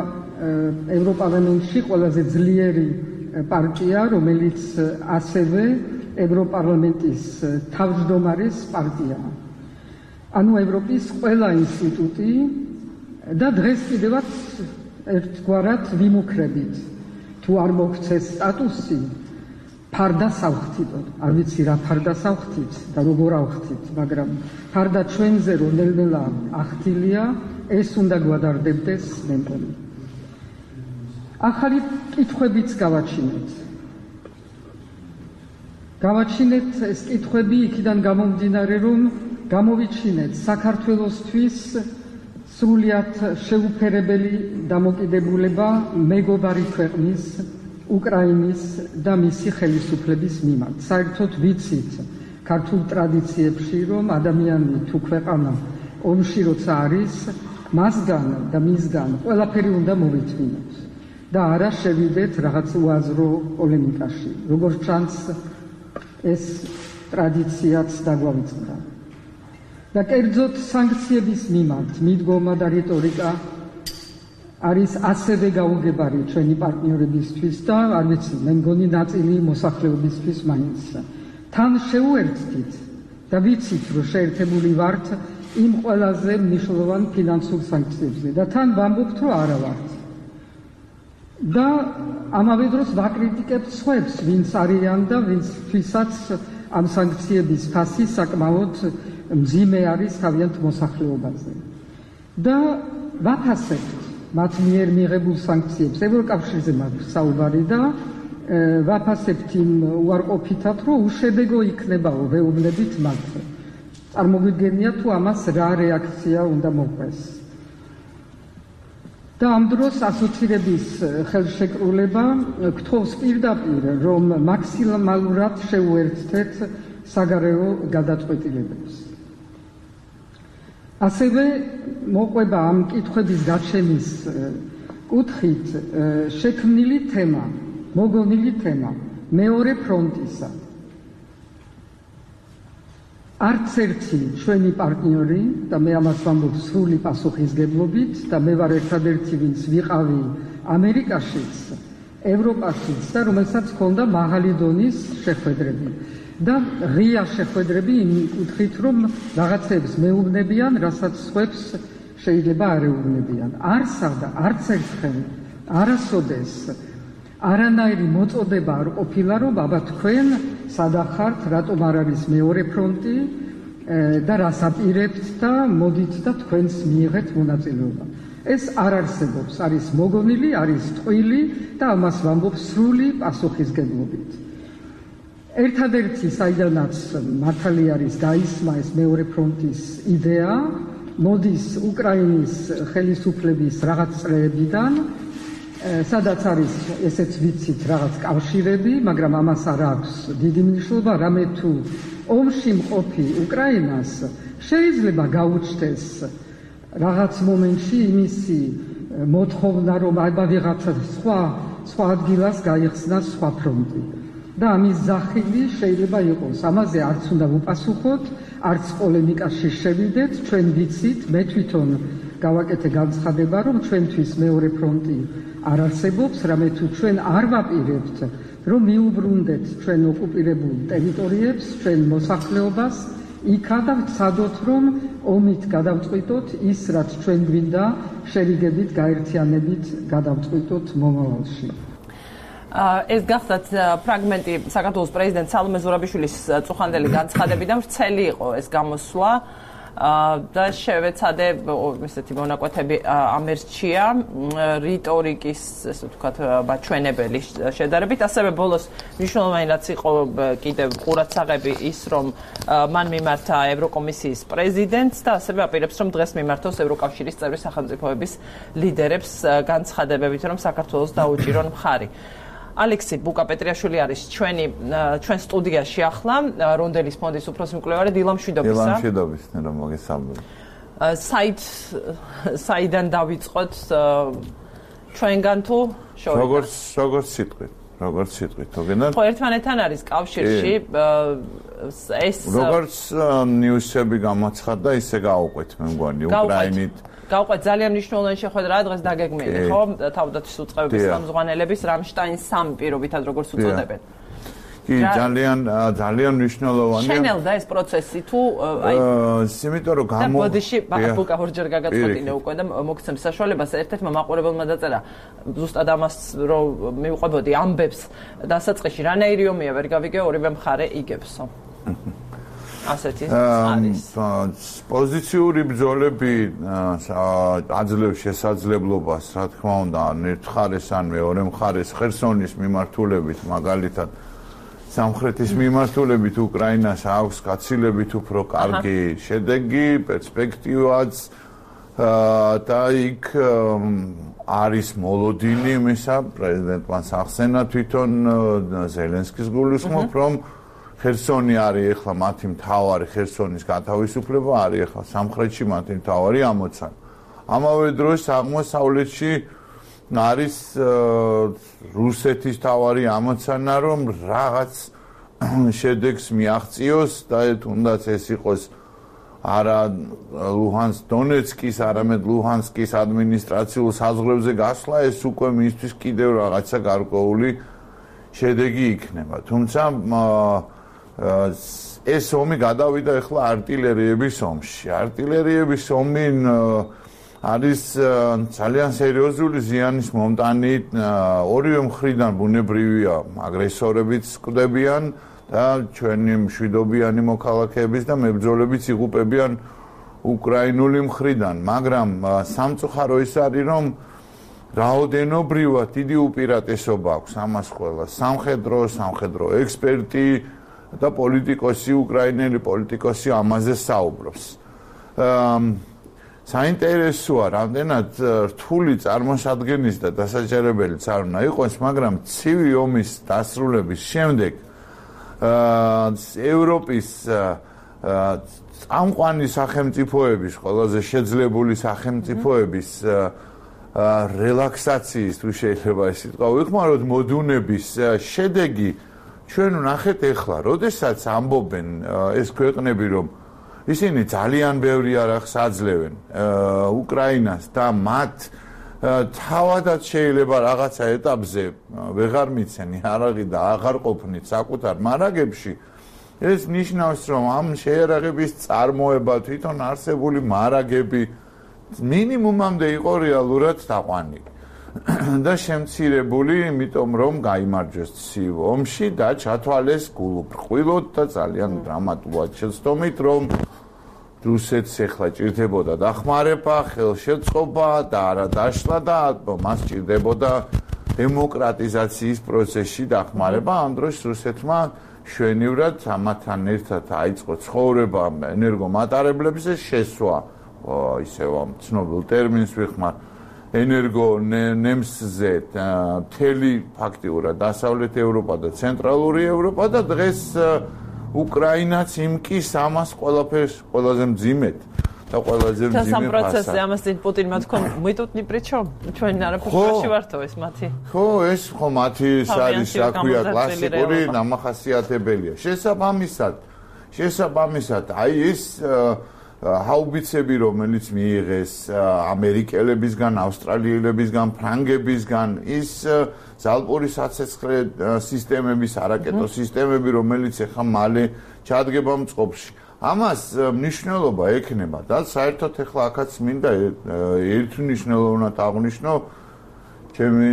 B: ევროპარლამენტში ყველაზე ძლიერი პარტია, რომელიც ასევე ევროპარლამენტის თავმჯდომარის პარტიაა. ანუ ევროპის ყველა ინსტიტუტი და დღეს კიდევაც ერთგვარად ვიმუქრებით. თუ არ მოგცეს სტატუსი, ფარდა სავხთით, არ ვიცი რა ფარდა სავხთით და როგორ ავხთით, მაგრამ ფარდა ჩვენზე რომ ნელ-ნელა ახთილია, ეს უნდა გვადარდებდეს მე მგონი. ახალი კითხვებიც გავაჩინეთ. გავაჩინეთ ეს კითხვები იქიდან გამომდინარე, რომ გამოვიჩინეთ საქართველოსთვის სრულიად შეუფერებელი დამოკიდებულება მეგობარი ქვეყნის უკრაინის და მისი ხელისუფლების მიმართ. საერთოდ ვიცით ქართულ ტრადიციებში, რომ ადამიანი თუ ქვეყანა ომში როცა არის, მასგან და მისგან ყველაფერი უნდა მოვითმინოთ და არა შევიდეთ რაღაც უაზრო პოლემიკაში. როგორც ჩანს, ეს ტრადიციაც დაგვავიწყდა. და კერძოდ სანქციების მიმართ მიდგომა და რიტორიკა არის ასევე გაუგებარი ჩვენი პარტნიორებისთვის და არ ვიცი, მე მგონი ნაწილი მოსახლეობისთვის მაინც. თან შეუერთდით და ვიცით, რომ შეერთებული ვართ იმ ყველაზე მნიშვნელოვან ფინანსურ სანქციებზე და თან ვამბობთ, რომ არა ვართ. და ამავე დროს ვაკრიტიკებთ სხვებს, ვინც არიან და ვინცთვისაც ამ სანქციების ფასი საკმაოდ მძიმე არის თავიანთ მოსახლეობაზე. და ვაფასებთ მათ მიერ მიღებულ სანქციებს, ევროკავშირზე მაქვს საუბარი და ვაფასებთ იმ უარყოფითად, რომ უშედეგო იქნებაო ვეუბნებით მათ. წარმოგვიდგენია თუ ამას რა რეაქცია უნდა მოყვეს. და ამ დროს ასოცირების ხელშეკრულება გთხოვს პირდაპირ, რომ მაქსიმალურად შეუერთდეთ საგარეო გადაწყვეტილებებს. ასევე მოყვება ამ კითხვების გაჩენის კუთხით შექმნილი თემა, მოგონილი თემა მეორე ფრონტისა. არც ერთი ჩვენი პარტნიორი და მე ამას ვამბობ სრული პასუხისგებლობით და მე ვარ ერთადერთი, ვინც ვიყავი ამერიკაშიც, ევროპაშიც და რომელსაც ჰქონდა მაღალი დონის შეხვედრები და ღია შეხვედრები იმ კუთხით, რომ რაღაცებს მეუბნებიან, რასაც სხვებს შეიძლება არ ეუბნებიან. არსა და არც ერთხელ არასოდეს არანაირი მოწოდება არ ყოფილა, რომ აბა თქვენ სადახართ, რატომ არ არის მეორე ფრონტი და რას აპირებთ და მოდით და თქვენს მიიღეთ მონაწილეობა. ეს არ არსებობს, არის მოგონილი, არის ტყვილი და ამას ვამბობ სრული პასუხისგებლობით. ერთადერთი, საიდანაც მართალი არის გაისმა ეს მეორე ფრონტის იდეა, მოდის უკრაინის ხელისუფლების რაღაც წრეებიდან, სადაც არის, ესეც ვიცით, რაღაც კავშირები, მაგრამ ამას არ აქვს დიდი მნიშვნელობა, რამე თუ ომში მყოფი უკრაინას შეიძლება გაუჩნდეს რაღაც მომენტში იმისი მოთხოვნა, რომ აბა ვიღაცა სხვა სხვა ადგილას გაიხსნას სხვა ფრონტი. და ამის ზახილი შეიძლება იყოს. ამაზე არც უნდა ვუპასუხოთ, არც პოლემიკაში შევიდეთ, ჩვენ ვიცით, მე თვითონ გავაკეთე განცხადება, რომ ჩვენთვის მეორე ფრონტი არ არსებობს, რამე თუ ჩვენ არ ვაპირებთ, რომ მიუბრუნდეთ ჩვენ ოკუპირებულ ტერიტორიებს, ჩვენ მოსახლეობას, იქა და ვცადოთ, რომ ომით გადავწყვიტოთ ის, რაც ჩვენ გვინდა შერიგებით, გაერთიანებით გადავწყვიტოთ მომავალში.
A: ეს გახდათ ფრაგმენტი საქართველოს პრეზიდენტ სალომე ზურაბიშვილის წუხანდელი განცხადებიდან, ვრცელი იყო ეს გამოსვლა და შევეცადე ესეთი მონაკვეთები ამერჩია რიტორიკის, ესე ვთქვათ, მაჩვენებელი შედარებით. ასევე ბოლოს მნიშვნელოვანი რაც იყო კიდევ ყურადსაღები ის, რომ მან მიმართა ევროკომისიის პრეზიდენტს და ასევე აპირებს, რომ დღეს მიმართოს ევროკავშირის წევრი სახელმწიფოების ლიდერებს განცხადებებით, რომ საქართველოს დაუჭირონ მხარი. ალექსი ბუკა-პეტრიაშვილი არის ჩვენი ჩვენ სტუდიაში ახლა, რონდელის ფონდის უფროსი მკვლევარი დილა მშვიდობისა.
C: დილა მშვიდობის, რომ მოგესალმებით.
A: საით საიდან დავიწყოთ ჩვენგან თუ შორიდან?
C: როგორც როგორც სიტყვით, როგორც სიტყვით, თოგენად.
A: ხო, ერთმანეთთან არის კავშირში ეს
C: როგორც ნიუსები გამოცხადდა, ისე გავუყვეთ, მე მგონი, უკრაინით
A: გავყვეთ ძალიან მნიშვნელოვანი შეხვედრაა დღეს დაგეგმილი, ხო? თავდაცვის უწყებების ხელმძღვანელების რამშტაინის სამი პირობითად როგორც უწოდებენ.
C: კი, ძალიან ძალიან მნიშვნელოვანია.
A: შენელდა ეს პროცესი თუ აი
C: იმიტომ რომ გამო
A: ბოდიში ბუკა ორჯერ გაგაწყვეტინე უკვე და მოგცემ საშუალებას ერთ-ერთმა მაყურებელმა დაწერა ზუსტად ამას რომ მივყვებოდი ამბებს დასაწყისში რანაირი ომია ვერ გავიგე ორივე მხარე იგებსო. ასეთი არის.
C: პოზიციური ბრძოლები აძლევს შესაძლებლობას, რა თქმა უნდა, ერთ მხარეს ან მეორე მხარეს ხერსონის მიმართულებით, მაგალითად სამხრეთის მიმართულებით უკრაინას აქვს გაცილებით უფრო კარგი შედეგი, პერსპექტივაც და იქ არის მოლოდინი, მისა პრეზიდენტმა სახსენა თვითონ ზელენსკის გულისხმობ, რომ ხერსონი არის ახლა მათი მთავარი ხერსონის გათავისუფლება, არის ახლა სამხრეთში მათი მთავარი ამოცანა. ამავე დროს აღმოსავლეთში არის რუსეთის მთავარი ამოცანა, რომ რაღაც შედეგს მიაღწიოს და თუნდაც ეს იყოს არა ლუჰანსკ დონეცკის, არამედ ლუჰანსკის ადმინისტრაციულ საზღვრებზე გასვლა, ეს უკვე მისთვის კიდევ რაღაცა გარკვეული შედეგი იქნება. თუმცა ეს ომი გადავიდა ახლა артиლერიების ომში. артиლერიების ომი არის ძალიან სერიოზული ზიანის მომტანი, ორივე მხრიდან ბუნებრივია აგრესორებიც კვდებიან და ჩვენი მშვიდობიანი მოქალაქეების და მებრძოლებიც იღუპებიან უკრაინული მხრიდან, მაგრამ სამწუხარო ის არის, რომ რაოდენობრივად დიდი უპირატესობა აქვს ამას ყველა სამხედრო, სამხედრო ექსპერტი და პოლიტიკოსი, უკრაინელი პოლიტიკოსი ამაზე საუბრობს. საინტერესოა, რამდენად რთული წარმოსადგენის და დასაჯერებელიც არ უნდა იყოს, მაგრამ ცივი ომის დასრულების შემდეგ ევროპის წამყვანი სახელმწიფოების, ყველაზე შეძლებული სახელმწიფოების რელაქსაციის, თუ შეიძლება ეს სიტყვა ვიხმაროთ, მოდუნების შედეგი ჩვენ ვნახეთ ახლა, როდესაც ამბობენ ეს ქვეყნები, რომ ისინი ძალიან ბევრი არახს აძლევენ უკრაინას და მათ თავადაც შეიძლება რაღაცა ეტაპზე ვეღარ მიცენი არაღი და აღარ ყოფნით საკუთარ მარაგებში, ეს ნიშნავს, რომ ამ შეიარაღების წარმოება თვითონ არსებული მარაგები მინიმუმამდე იყო რეალურად დაყვანილი და შემცირებული, იმიტომ რომ გაიმარჯვეს ცივ ომში და ჩათვალეს გულუბრყვილოდ და ძალიან დრამატულად შეცდომით, რომ რუსეთს ეხლა ჭირდებოდა დახმარება, ხელშეწყობა და არა დაშლა და მას ჭირდებოდა დემოკრატიზაციის პროცესში დახმარება. ამ დროს რუსეთმა შვენივრად ამათთან ერთად აიწყო ცხოვრება ენერგომატარებლებზე შესვა, ისევ ამ ცნობილ ტერმინს ვიხმარ, ენერგო ნემსზე მთელი ფაქტიურად დასავლეთ ევროპა და ცენტრალური ევროპა და დღეს უკრაინაც იმკის ამას ყველაფერს ყველაზე მძიმედ და ყველაზე მძიმე ფასად.
A: ამ პროცესზე ამას წინ პუტინმა თქვა, მიტუტნი პრიჩო, ჩვენ არაფერში ვართო ეს მათი.
C: ხო, ეს ხო მათი არის, რა ქვია, კლასიკური დამახასიათებელია. შესაბამისად, შესაბამისად, აი ეს ჰაუბიცები, რომელიც მიიღეს ამერიკელებისგან, ავსტრალიელებისგან, ფრანგებისგან, ის ზალპური საცეცხლე სისტემების, არაკეტო სისტემები, რომელიც ახლა მალე ჩადგება მწყობში. ამას მნიშვნელობა ექნება და საერთოდ ახლა აქაც მინდა ერთ მნიშვნელოვნად აღვნიშნო ჩემი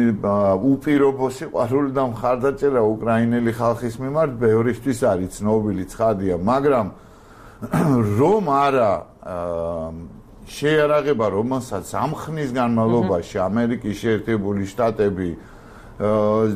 C: უპირობო სიყვარული და მხარდაჭერა უკრაინელი ხალხის მიმართ ბევრისთვის არის ცნობილი ცხადია, მაგრამ რომ არა შეიარაღება, რომელსაც ამ ხნის განმავლობაში ამერიკის შეერთებული შტატები,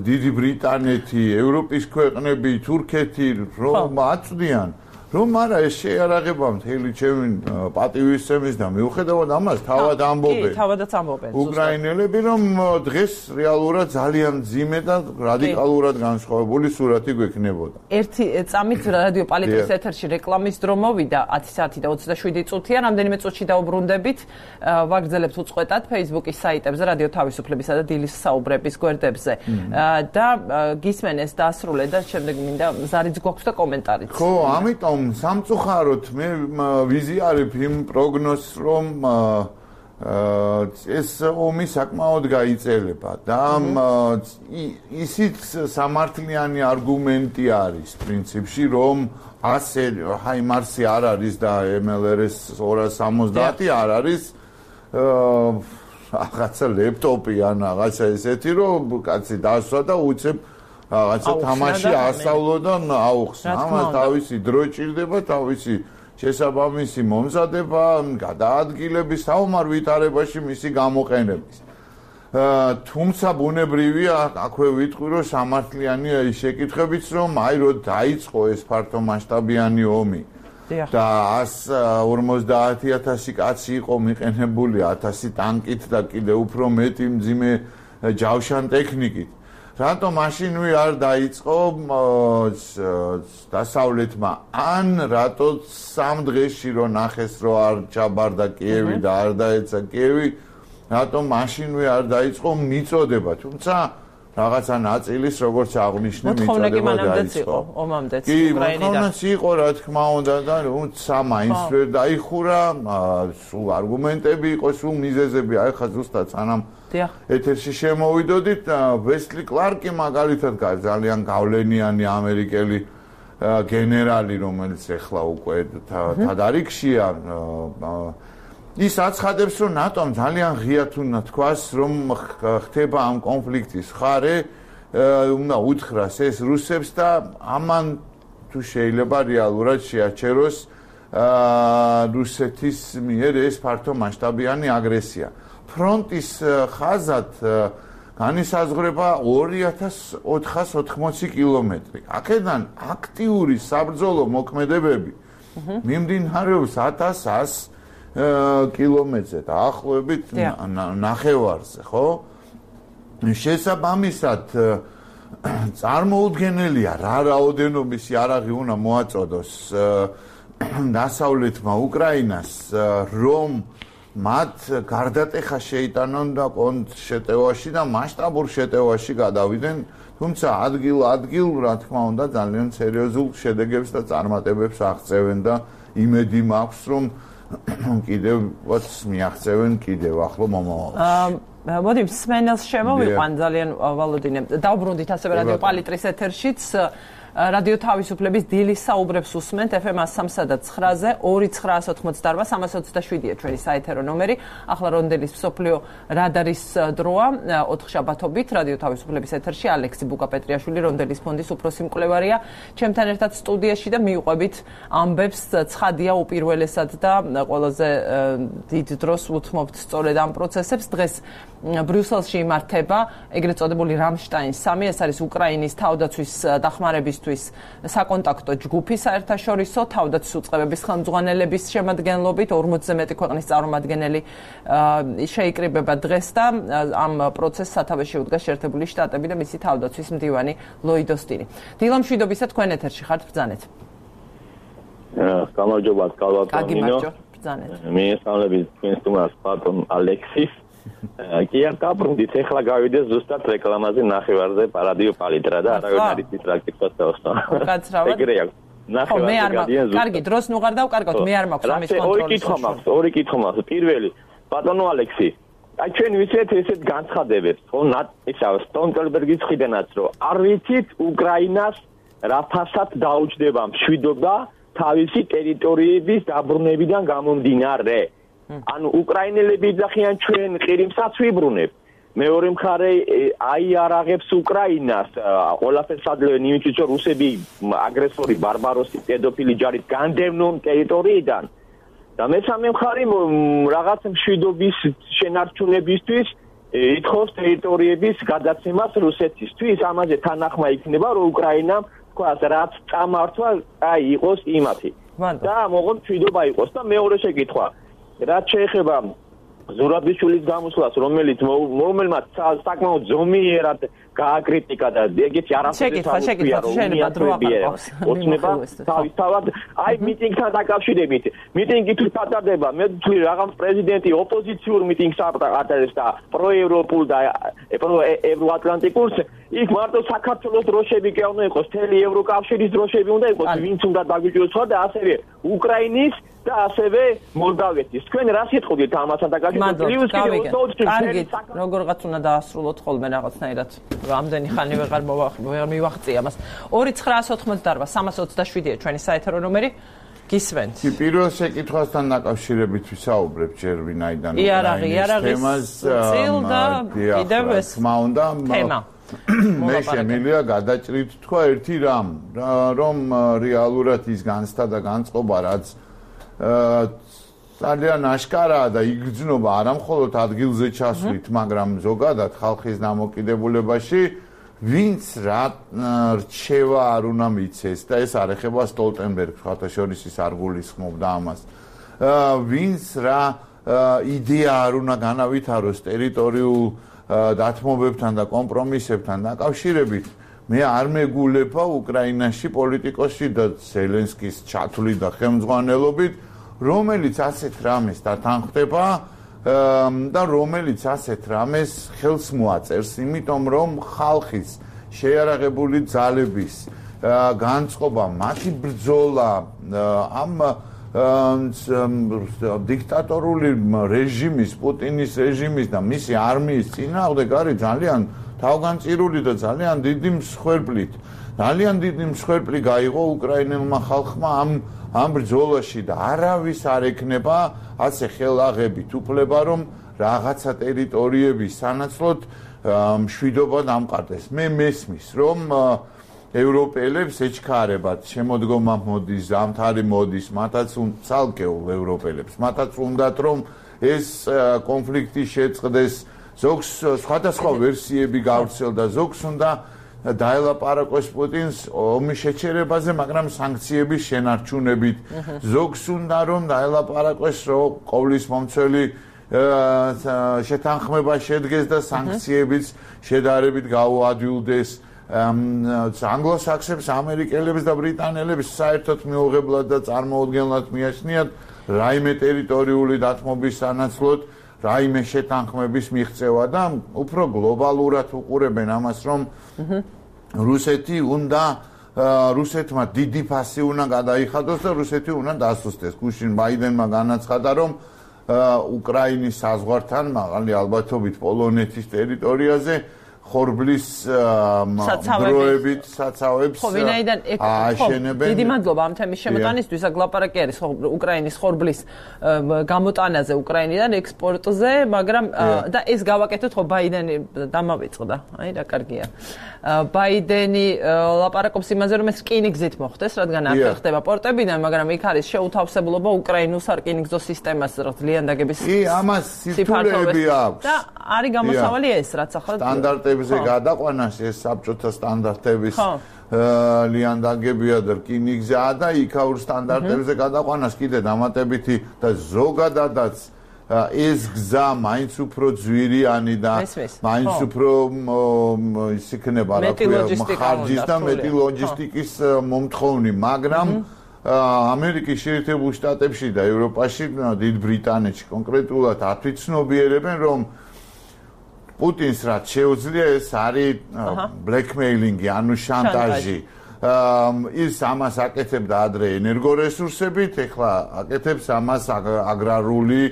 C: დიდი ბრიტანეთი, ევროპის ქვეყნები, თურქეთი რომ აწვდიან, რომ არა ეს შეიარაღება მთელი ჩემი პატივისცემის და მიუხედავად ამას თავად ამბობენ.
A: კი, თავადაც ამბობენ.
C: უკრაინელები რომ დღეს რეალურად ძალიან მძიმე და რადიკალურად განსხვავებული სურათი გვექნებოდა.
A: ერთი წამით რადიო პალიტრის ეთერში რეკლამის დრო მოვიდა ათი საათი და ოცდაშვიდი წუთია, რამდენიმე წუთში დაუბრუნდებით. ვაგრძელებთ უწყვეტად Facebook-ის საიტებზე, რადიო თავისუფლებისა და დილის საუბრების გვერდებზე. და გისმენეს დაასრულე და შემდეგ მინდა ზარიც გვაქვს და კომენტარიც.
C: ხო, ამიტომ სამწუხაროდ მე ვიზიარებ იმ პროგნოზს, რომ ეს ომი საკმაოდ გაიწელება და ისიც სამართლიანი არგუმენტი არის პრინციპში, რომ ასე ჰაიმარსი არ არის და ემ ელ er es ორას სამოცდაათი არ არის რაღაცა ლეპტოპი ან რაღაცა ესეთი, რომ კაცი დასვა და უცებ რაღაცა თამაში ასწავლო და აუხსნა. ამას თავისი დრო ჭირდება, თავისი შესაბამისი მომზადება, გადაადგილების, საომარ ვითარებაში მისი გამოყენების. თუმცა ბუნებრივია, აქვე ვიტყვი, რომ სამართლიანია ის შეკითხვებიც, რომ აი რო დაიწყო ეს ფართომასშტაბიანი ომი და ას ორმოცდაათი ათასი კაცი იყო მიყენებული, ათასი ტანკით და კიდე უფრო მეტი მძიმე ჯავშან ტექნიკით. რატომ მაშინვე არ დაიწყო დასავლეთმა, ან რატო სამ დღეში რო ნახეს, რომ არ ჩაბარდა კიევი და არ დაეცა კიევი, რატომ მაშინვე არ დაიწყო მიწოდება, თუმცა რაღაცა ნაწილის, როგორც აღნიშნე, მიწოდება დაიწყო.
A: ომამდეც
C: კი, მოთხოვნაც იყო, რა თქმა უნდა და თუმცა მაინც ვერ დაიხურა, სულ არგუმენტები იყო, სულ მიზეზები, აი ხა ზუსტად სანამ ეთერში შემოვიდოდით, ვესლი კლარკი მაგალითად ძალიან გავლენიანი ამერიკელი გენერალი, რომელიც ეხლა უკვე თადარიგშია, ის აცხადებს, რომ ნატომ ძალიან ღიად უნდა თქვას, რომ ხდება ამ კონფლიქტის მხარე, უნდა უთხრას ეს რუსებს და ამან თუ შეიძლება რეალურად შეაჩეროს რუსეთის მიერ ეს ფართომასშტაბიანი აგრესია. ფრონტის ხაზად განისაზღვრება ორი ათას ოთხას ოთხმოცი კილომეტრი. აქედან აქტიური საბრძოლო მოქმედებები მიმდინარეობს ათას ას კილომეტრზე დაახლოებით ნახევარზე, ხო? შესაბამისად წარმოუდგენელია რა რაოდენობის იარაღი უნდა მოაწოდოს დასავლეთმა უკრაინას, რომ მათ გარდატეხა შეიტანონ და კონტრშეტევაში და მასშტაბურ შეტევაში გადავიდნენ, თუმცა ადგილ-ადგილ, რა თქმა უნდა, ძალიან სერიოზულ შედეგებს და წარმატებებს აღწევენ და იმედი მაქვს, რომ კიდევაც მიაღწევენ კიდევ ახლო მომავალში.
A: მოდი მსმენელს შემოვიყვან ძალიან ვალოდინე. დავბრუნდით ასევე რადიო პალიტრის ეთერშიც. რადიო თავისუფლების დილის საუბრებს უსმენთ ეფ ემ სამსა და ცხრაზე ორი ცხრაას ოცდაოთხმოცდაარბა სამას ოცდაშვიდია ჩვენი საეთერო ნომერი. ახლა რონდელის მსოფლიო რადარის დროა ოთხშაბათობით რადიო თავისუფლების ეთერში ალექსი ბუკაპეტრიაშვილი რონდელის ფონდის უფროსი მკვლევარია ჩემთან ერთად სტუდიაში და მიუყვებით ამბებს ცხადია უპირველესად და ყველაზე დიდ დროს უთმობთ სწორედ ამ პროცესებს. დღეს ბრიუსელში იმართება ეგრეთ წოდებული რამშტაინ სამი, ეს არის უკრაინის თავდაცვის დახმარებისთვის საკონტაქტო ჯგუფი საერთაშორისო თავდაცვის უწყებების ხელმძღვანელების შემადგენლობით ორმოცზე მეტი ქვეყნის წარმომადგენელი შეიკრიბება დღეს და ამ პროცესს სათავეში უდგას შეერთებული შტატები და მისი თავდაცვის მდივანი ლოიდ ოსტინი. დილა მშვიდობისა, თქვენ ეთერში ხართ, ბრძანეთ.
D: გამარჯობა, კალვატონინო.
A: ბრძანეთ.
D: მიესალმებით თქვენ სტუმარს ბატონ ალექსის. კი არ დაბრუნდით, ეხლა გავიდეთ ზუსტად რეკლამაზე ნახევარზე რადიო პალიტრა და არავინ არ იცის რა კითხვას დავსვა.
A: უკაცრავად.
D: ეგრე აქვს. ნახევარზე გადიან ზუსტად.
A: კარგი, დროს ნუ ღარ დავკარგოთ, მე არ მაქვს ამის კონტროლის.
D: ორი კითხვა მაქვს, ორი კითხვა მაქვს. პირველი, ბატონო ალექსი, აი ჩვენ ვიცით ესეთ განცხადებებს, ხო, ისა სტონტელბერგის ხიდანაც, რომ არ ვიცით უკრაინას რა ფასად დაუჯდება მშვიდობა თავისი ტერიტორიების დაბრუნებიდან გამომდინარე. ანუ უკრაინელები იძახიან ჩვენ ყირიმსაც ვიბრუნებ. მეორე მხარე აიარაღებს უკრაინას, ყველაფერს ადლევენ იმისთვის, რომ რუსები აგრესორი, ბარბაროსი, პედოფილი ჯარით განდევნონ ტერიტორიიდან. და მესამე მხარე რაღაც მშვიდობის შენარჩუნებისთვის ითხოვს ტერიტორიების გადაცემას რუსეთისთვის. ამაზე თანახმა იქნება, რომ უკრაინამ თქვა, რაც წამართვა, აი იყოს იმათი. და მოღონ მშვიდობა იყოს და მეორე შეკითხვა რაც შეეხება ზურაბიშვილის გამოსვლას, რომელიც რომელმაც საკმაოდ ზომიერად გააკრიტიკა და ეგეთი არაფერი ოცნება თავისთავად აი მიტინგთან დაკავშირებით მიტინგი თუ ჩატარდება მე ვთვლი რაღაც პრეზიდენტი ოპოზიციურ მიტინგს ატარებს და პროევროპულ და ევროატლანტიკულს იქ მარტო საქართველოს დროშები კი უნდა იყოს, მთელი ევროკავშირის დროშები უნდა იყოს, ვინც უნდა დაგვიჭიროს და ასევე უკრაინის და ასევე მოლდავეთის. თქვენ რა სიტყვით ამასთან დაკავშირებით?
A: კარგი, როგორღაც უნდა დაასრულოთ ხოლმე რაღაცნაირად. რამდენი ხანი ვეღარ ვერ მივაღწია ამას. ორი ცხრაას ოცდაოთხმოცდაარბა სამას ოცდაშვიდია ჩვენი საეთერო ნომერი. გისმენთ.
C: კი, პირველ შეკითხვასთან დაკავშირებით ვისაუბრებ ჯერ ვინაიდან
A: იარაღი, იარაღის წილ და კიდევ ეს
C: თმა უნდა
A: თემა.
C: მე შემიძლია გადაჭრით თქვა ერთი რამ, რომ რეალურად ის განცდა და განწყობა რაც ძალიან აშკარაა და იგრძნობა არა მხოლოდ ადგილზე ჩასვლით, მაგრამ ზოგადად ხალხის დამოკიდებულებაში, ვინც რა რჩევა არ უნდა მიცეს და ეს არ ეხება სტოლტენბერგს, ხათაშორის ის არ გულისხმობდა ამას. ვინც რა იდეა არ უნდა განავითაროს ტერიტორიულ დათმობებთან და კომპრომისებთან დაკავშირებით, მე არ მეგულება უკრაინაში პოლიტიკოსი და ზელენსკის ჩათვლით და ხელმძღვანელობით, რომელიც ასეთ რამეს დათანხმდება და რომელიც ასეთ რამეს ხელს მოაწერს, იმიტომ რომ ხალხის შეიარაღებული ძალების განწყობა, მათი ბრძოლა ამ დიქტატორული რეჟიმის, პუტინის რეჟიმის და მისი არმიის წინააღმდეგ არის ძალიან თავგანწირული და ძალიან დიდი მსხვერპლით. ძალიან დიდი მსხვერპლი გაიღო უკრაინელმა ხალხმა ამ ამ ბრძოლაში და არავის არ ეკნება ასე ხელაღებით უფლება, რომ რაღაცა ტერიტორიების სანაცვლოდ მშვიდობა დამყარდეს. მე მესმის, რომ ევროპელებს ეჩქარებათ შემოდგომა მოდის, ზამთარი მოდის, მათაც ცალკეულ ევროპელებს, მათაც უნდათ რომ ეს კონფლიქტი შეწყდეს, ზოგს სხვადასხვა ვერსიები გავრცელდა, ზოგს უნდა დაელაპარაკოს პუტინს ომის შეჩერებაზე, მაგრამ სანქციების შენარჩუნებით. ზოგს უნდა რომ დაელაპარაკოს, რომ ყოვლის მომცველი შეთანხმება შედგეს და სანქციებიც შედარებით გაუადვილდეს. ანგლოსაქსებს, ამერიკელებს და ბრიტანელებს საერთოდ მიუღებლად და წარმოუდგენლად მიაჩნიათ რაიმე ტერიტორიული დათმობის სანაცვლოდ რაიმე შეთანხმების მიღწევა და უფრო გლობალურად უყურებენ ამას, რომ რუსეთი უნდა რუსეთმა დიდი ფასი უნდა გადაიხადოს და რუსეთი უნდა დასუსტდეს. გუშინ ბაიდენმა განაცხადა, რომ უკრაინის საზღვართან მაღალი ალბათობით პოლონეთის ტერიტორიაზე ხორბლის დროებით საცავებს აშენებენ.
A: დიდი მადლობა ამ თემის შემოტანისთვის. ლაპარაკი არის უკრაინის ხორბლის გამოტანაზე უკრაინიდან ექსპორტზე, მაგრამ და ეს გავაკეთოთ ხო ბაიდენი დამავიწყდა. აი რა კარგია. ბაიდენი ლაპარაკობს იმაზე, რომ ეს რკინიგზით მოხდეს, რადგან არ ხდება პორტებიდან, მაგრამ იქ არის შეუთავსებლობა უკრაინულ სარკინიგზო სისტემას ძალიან დაგების.
C: კი, ამას სირთულეები აქვს.
A: და არის გამოსავალი ეს, რაც ახლა
C: სტანდარტებზე გადაყვანას ეს საბჭოთა სტანდარტების ლიანდაგებია და რკინიგზაა და იქაურ სტანდარტებზე გადაყვანას კიდე დამატებითი და ზოგადადაც ეს გზა მაინც უფრო ძვირიანი და მაინც უფრო ის იქნება რა ქვია ხარჯის და მეტი ლოჯისტიკის მომთხოვნი, მაგრამ ამერიკის შეერთებულ შტატებში და ევროპაში, დიდ ბრიტანეთში კონკრეტულად ათვიცნობიერებენ, რომ პუტინს რაც შეუძლია ეს არის ბლექმეილინგი, ანუ შანტაჟი. ის ამას აკეთებდა ადრე ენერგორესურსებით, ეხლა აკეთებს ამას აგრარული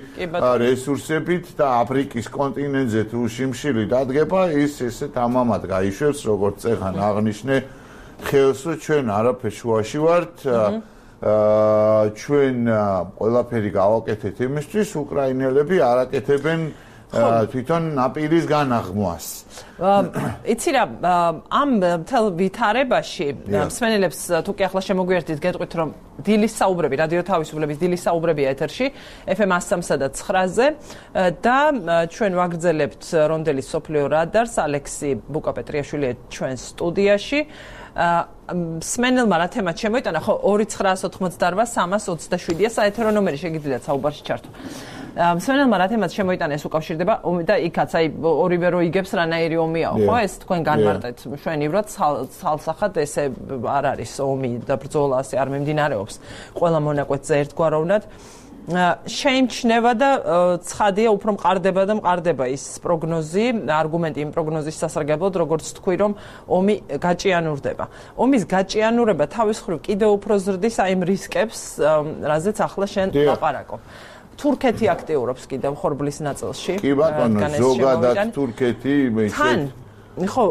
C: რესურსებით და აფრიკის კონტინენტზე თუ შიმშილი დადგება, ის ესე თამამად გაიშვებს, როგორც წეხან აღნიშნე ხელსო ჩვენ არაფერ შუაში ვართ. ჩვენ ყველაფერი გავაკეთეთ იმისთვის, უკრაინელები არ აკეთებენ თვითონ ნაპირის განაღმვას.
A: იცი რა, ამ მთელ ვითარებაში მსმენელებს თუ კი ახლა შემოგვიერთით, გეტყვით, რომ დილის საუბრები, რადიო თავისუფლების დილის საუბრებია ეთერში, ეფ ემ one oh three და nine-ზე და ჩვენ ვაგრძელებთ რონდელის სოფლიო რადარს, ალექსი ბუკაპეტრიაშვილია ჩვენ სტუდიაში. მსმენელმა რა თემად შემოიტანა, ხო two nine nine eight three three seven საეთერო ნომერი შეგიძლიათ საუბარში ჩართო. მსმენელმა რა თემად შემოიტანა ეს უკავშირდება და იქაც აი ორივე რო იგებს რანაირი ომიაო, ხო ეს თქვენ განმარტეთ მშვენივრად ცალსახად ესე არ არის ომი და ბრძოლა ასე არ მიმდინარეობს ყველა მონაკვეთზე ერთგვაროვნად. შეიმჩნევა და ცხადია უფრო მყარდება და მყარდება ის პროგნოზი, არგუმენტი იმ პროგნოზის სასარგებლოდ, როგორც თქვი, რომ ომი გაჭიანურდება. ომის გაჭიანურება თავის მხრივ კიდევ უფრო ზრდის აი იმ რისკებს, რაზეც ახლა შენ ლაპარაკობ. თურქეთი აქტიურობს კიდევ ხორბლის ნაწილში.
C: კი ბატონო, ზოგადად თურქეთი
A: თან ხო,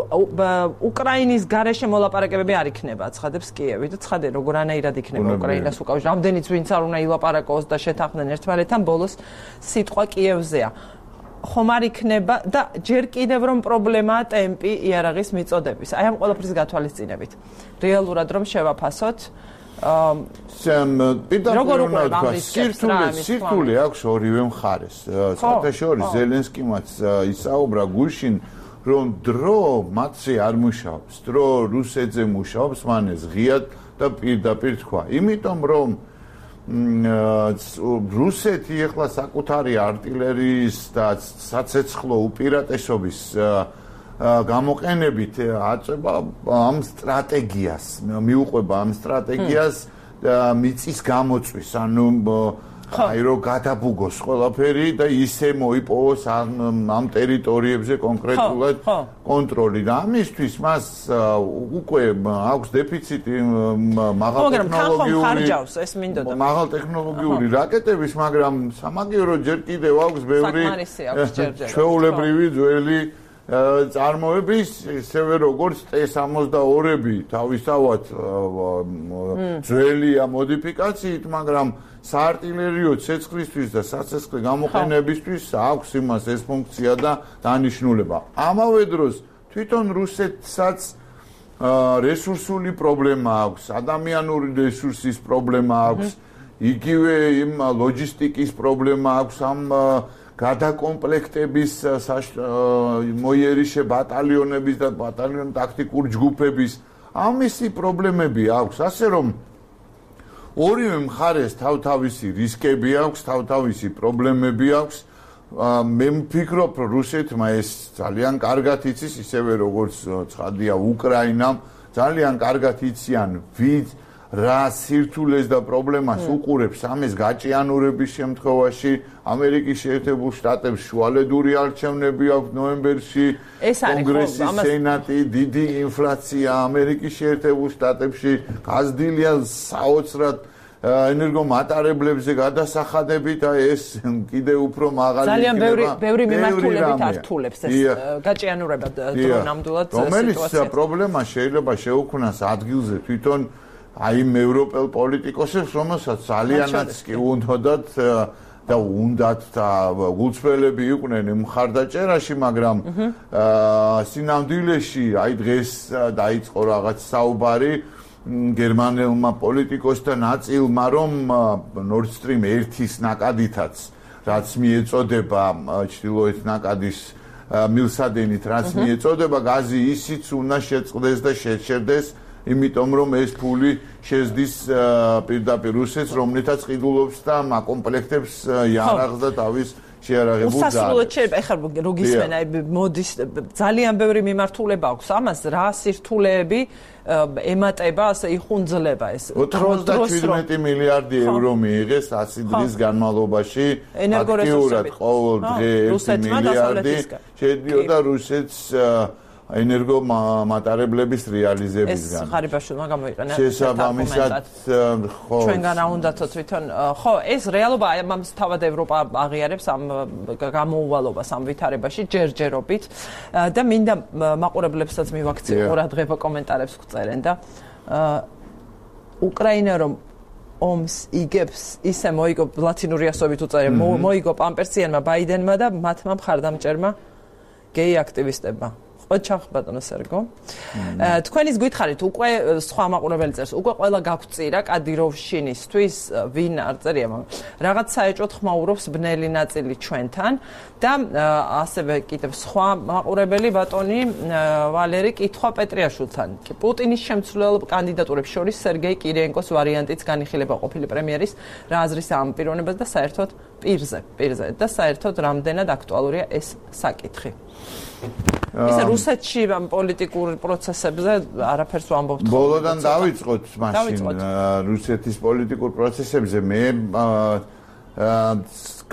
A: უკრაინის გარეშე მოლაპარაკებები არ იქნება, ცხადებს კიევი და ცხადე როგორანაირად იქნება უკრაინას უკავშირდება. რამდენიც ვინც არ უნდა ილაპარაკოს და შეთანხმდნენ ერთმანეთთან, ბოლოს სიტყვა კიევზეა. ხომ არ იქნება და ჯერ კიდევ რომ პრობლემაა ტემპი იარაღის მიწოდების. აი ამ ყველაფრის გათვალისწინებით. რეალურად რომ შევაფასოთ
C: სამ პირდაპირ სირთულე სირთულე აქვს ორივე მხარეს. საერთაშორისო ზელენსკიმაც ისაუბრა გუშინ, რომ დრო მათზე არ მუშაობს, დრო რუსეთზე მუშაობს, მან ეს ღიად და პირდაპირ თქვა. იმიტომ რომ რუსეთი ეხლა საკუთარი артиლერიის და საცეცხლო უპირატესობის გამოყენებით აწება ამ სტრატეგიას, მიუყვება ამ სტრატეგიას მიწის გამოწვის, ანუ აი რო გადაბუგოს ყველაფერი და ისე მოიპოვოს ამ ტერიტორიებზე კონკრეტულად კონტროლი და ამისთვის მას უკვე აქვს დეფიციტი მაღალტექნოლოგიური მაღალტექნოლოგიური რაკეტების, მაგრამ სამაგიეროდ ჯერ კიდევ აქვს ბევრი ჩვეულებრივი ძველი წარმოების, ისევე როგორც T sixty-two-ები თავისთავად ძველია მოდიფიკაციით, მაგრამ საარტილერიო ცეცხლისთვის და საცეცხლე გამოყენებისთვის აქვს იმას ეს ფუნქცია და დანიშნულება. ამავე დროს თვითონ რუსეთსაც რესურსული პრობლემა აქვს, ადამიანური რესურსის პრობლემა აქვს, იგივე იმ ლოჯისტიკის პრობლემა აქვს ამ გადაკომპლექტების მოიერიშე ბატალიონების და ბატალიონ ტაქტიკურ ჯგუფების ამისი პრობლემები აქვს, ასე რომ ორივე მხარეს თავთავისი რისკები აქვს, თავთავისი პრობლემები აქვს. მე ვფიქრობ, რუსეთმა ეს ძალიან კარგად იცის, ისევე როგორც ცხადია უკრაინამ, ძალიან კარგად იციან ვით რა სირთულეს და პრობლემას უყურებს ამის გაჭიანურების შემთხვევაში. ამერიკის შეერთებულ შტატებს შუალედური არჩევნები აქვს ნოემბერში, კონგრესი, სენატი, დიდი ინფლაცია ამერიკის შეერთებულ შტატებში, გაზრდილია საოცრად ენერგომატარებლებზე გადასახადები და ეს კიდე უფრო მაღალი
A: იქნება. ძალიან ბევრი ბევრი მიმართულებით ართულებს ეს გაჭიანურება დრონამდულად სიტუაციას.
C: რომელიც პრობლემა შეიძლება შეუქმნას ადგილზე თვითონ აი ევროპელ პოლიტიკოსებს, რომელსაც ძალიანაც კი უნდათ და უნდათ და გულწრფელები იყვნენ მხარდაჭერაში, მაგრამ სინამდვილეში აი დღეს დაიწყო რაღაც საუბარი გერმანელმა პოლიტიკოსთა ნაწილმა, რომ Nord Stream ერთის ნაკადითაც, რაც მიეწოდება ჩრდილოეთ ნაკადის მილსადენით, რაც მიეწოდება, გაზი ისიც უნდა შეწყდეს და შეჩერდეს, იმიტომ რომ ეს ფული შეზდის პირდაპირ რუსეთს, რომლითაც ყიდულობს და აკომპლექტებს იარაღს და თავის შეარაღებულ ძალებს.
A: უსასრულოდ შეიძლება, ეხლა რო გისმენ, აი მოდის ძალიან ბევრი მიმართულება აქვს ამას, რა სირთულეები ემატება, ასე იხუნძლება ეს.
C: ოცდაშვიდმეტი მილიარდი ევრო მიიღეს ათი დღის განმავლობაში, აქტიურად ყოველ დღე ერთი მილიარდი შედიოდა რუსეთს ენერგომატარებლების რეალიზებისგან.
A: ეს ღარიბაშვილმა გამოიყენა
C: შესაბამისად, ხო.
A: ჩვენგან არ უნდათო თვითონ, ხო, ეს რეალობა ამას თავად ევროპა აღიარებს ამ გამოუვალობას ამ ვითარებაში ჯერჯერობით და მინდა მაყურებლებსაც მივაქციო ყურადღება კომენტარებს გწერენ და უკრაინა რომ ომს იგებს, ისე მოიგო ლათინური ასობით უწერენ, მოიგო პამპერსიანმა ბაიდენმა და მათმა მხარდამჭერმა გეი აქტივისტებმა. ოჩახ ბატონო სერგო. თქვენის გითხარით უკვე სხვა მაყურებელი წერს, უკვე ყველა გაგვწირა კადიროვშინისთვის, ვინ არ წერია, მაგრამ რაღაც საეჭვოდ ხმაურობს ბნელი ნაწილი ჩვენთან და ასევე კიდევ სხვა მაყურებელი ბატონი ვალერი კითხვა პეტრიაშვილთან. პუტინის შემცვლელ კანდიდატურებს შორის სერგეი კირიენკოს ვარიანტიც განიხილება ყოფილი პრემიერის რა აზრის ამ პიროვნებას და საერთოდ პირზე, პირზე და საერთოდ რამდენად აქტუალურია ეს საკითხი. ისე რუსეთში ამ პოლიტიკურ პროცესებზე არაფერს ვამბობთ.
C: ბოლოდან დავიწყოთ მაშინ რუსეთის პოლიტიკურ პროცესებზე მე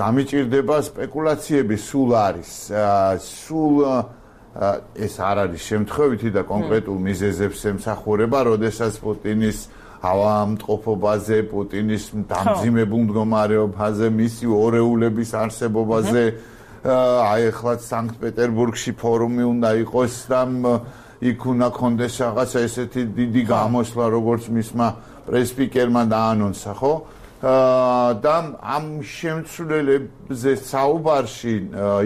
C: გამიჭირდება სპეკულაციები სულ არის. სულ ეს არ არის შემთხვევითი და კონკრეტულ მიზეზებს ემსახურება, როდესაც პუტინის ავადმყოფობაზე, პუტინის დამძიმებულ მდგომარეობაზე, მისი ორეულების არსებობაზე აი ახლა სანქტ-პეტერბურგში ფორუმი უნდა იყოს და იქ უნდა კონდეს რაღაცა ესეთი დიდი გამოსვლა, როგორც მისმა პრესპიკერმა დაანონსა, ხო? და ამ შემცვლელებზე საუბარში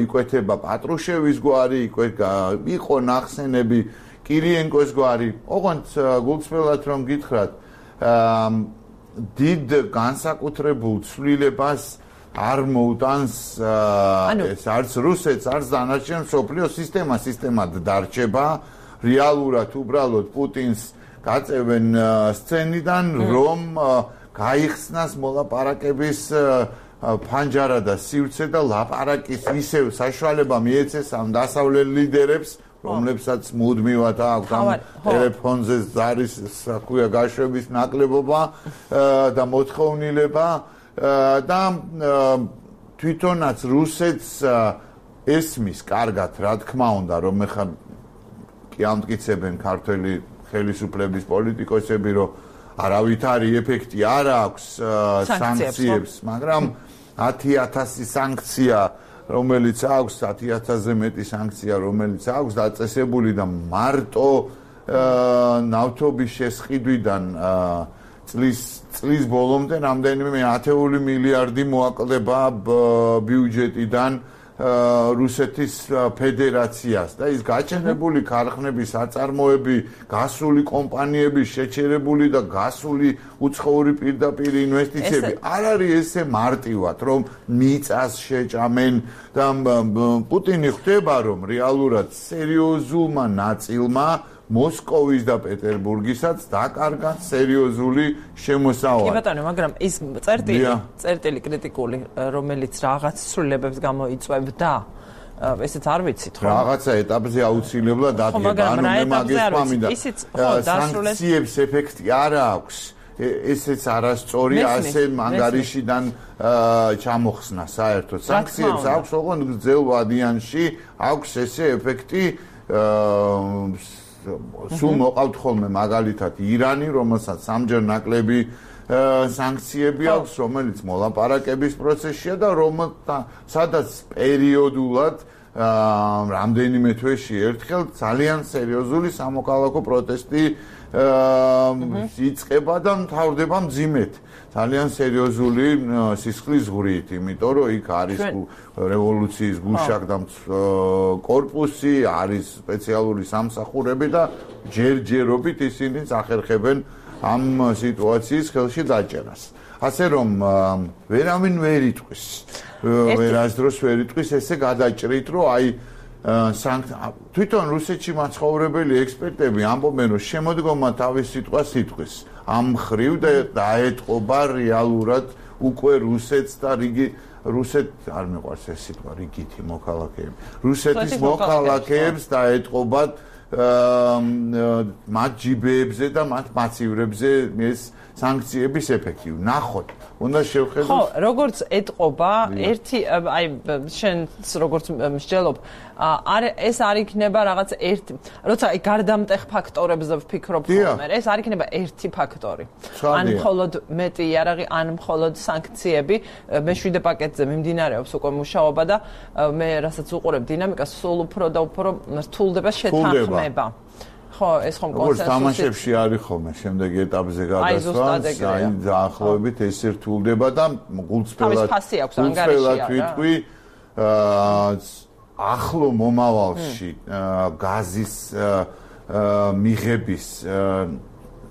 C: იკვეთება პატრუშევის გვარი, იყო ნახსენები კირიენკოს გვარი. ოღონდ გულწრფელად რომ გითხრათ, დიდ განსაკუთრებულ ცვლილებას არ მოუტანს ეს არც რუსეთს, არც დანარჩენ მსოფლიოს სისტემა სისტემად დარჩება. რეალურად უბრალოდ პუტინს გაწევენ სცენიდან, რომ გაიხსნას მოლაპარაკების ფანჯარა და სივრცე და ლაპარაკის ისევ საშუალება მიეცეს ამ დასავლელ ლიდერებს, რომლებსაც მუდმივად აქვს ამ ტელეფონზე ზარის საქმეა გაშვების ნაკლებობა და მოთხოვნილება. და თვითონაც რუსეთს ესმის კარგად, რა თქმა უნდა, რომ ეხლა კი ამტკიცებენ ქართველი ხელისუფლების პოლიტიკოსები, რომ არავითარი ეფექტი არ აქვს სანქციებს, მაგრამ ათი ათასი სანქცია, რომელიც აქვს, ათი ათასზე მეტი სანქცია, რომელიც აქვს დაწესებული და მარტო ნავთობის შესყიდვიდან წლის წლის ბოლომდე რამდენიმე ათეული მილიარდი მოაკლდება ბიუჯეტიდან რუსეთის ფედერაციას და ის გაჩენებული ქარხნები, საწარმოები, გასული კომპანიები, შეჩერებული და გასული უცხოური პირდაპირ ინვესტიციები არ არის ესე მარტივად, რომ მიწას შეჭამენ და პუტინი ხვდება, რომ რეალურად სერიოზულმა ნაწილმა მოსკოვის და პეტერბურგისაც დაკარგა სერიოზული შემოსავალი.
A: კი ბატონო, მაგრამ ის წერტილი, წერტილი კრიტიკული, რომელიც რაღაც ცვლილებებს გამოიწვევდა, ესეც არ ვიცით, ხო?
C: რაღაცა ეტაპზე აუცილებლად დადგება, ანუ მე მაგის მინდა. სანქციებს ეფექტი არ აქვს. ესეც არასწორი, ასე ანგარიშიდან ჩამოხსნა საერთოდ. სანქციებს აქვს, ოღონდ გრძელ ვადიანში აქვს ესე ეფექტი სულ მოყავთ ხოლმე მაგალითად ირანი, რომელსაც სამჯერ ნაკლები სანქციები აქვს, რომელიც მოლაპარაკების პროცესშია და რომელთა სადაც პერიოდულად რამდენიმე თვეში ერთხელ ძალიან სერიოზული სამოქალაქო პროტესტი იწყება და მთავრდება მძიმედ. ძალიან სერიოზული სისხლის ზღვრით, იმიტომ რომ იქ არის რევოლუციის გუშაკ და კორპუსი, არის სპეციალური სამსახურები და ჯერჯერობით ისინი ახერხებენ ამ სიტუაციის ხელში დაჭერას. ასე რომ ვერავინ ვერ იტყვის, ვერასდროს ვერ იტყვის ესე გადაჭრით, რომ აი თვითონ რუსეთში მაცხოვრებელი ექსპერტები ამბობენ, რომ შემოდგომა თავის სიტყვას იტყვის. ამ ხრივ და დაეტყობა რეალურად უკვე რუსეთს და რიგი რუსეთ არ მეყვარს ეს სიტყვა რიგითი მოქალაქეები. რუსეთის მოქალაქეებს დაეტყობათ მათ ჯიბეებზე და მათ მაცივრებზე ეს სანქციების ეფექტი. ნახოთ, უნდა შევხედოთ.
A: ხო, როგორც ეტყობა, ერთი აი შენს როგორც მსჯელობ, არ ეს არ იქნება რაღაც ერთი, როცა აი გარდამტეხ ფაქტორებზე ვფიქრობ ხოლმე, ეს არ იქნება ერთი ფაქტორი. ან მხოლოდ მეტი იარაღი, ან მხოლოდ სანქციები, მეშვიდე პაკეტზე მიმდინარეობს უკვე მუშაობა და მე რასაც უყურებ დინამიკას, სულ უფრო და უფრო რთულდება შეთანხმება. ხო, ეს ხომ
C: კონსენსუსი. როგორც თამაშებში არის ხოლმე, შემდეგ ეტაპზე გადასვლა, აი დაახლოებით ეს რთულდება და გულწრფელად გულწრფელად ვიტყვი, ახლო მომავალში გაზის მიღების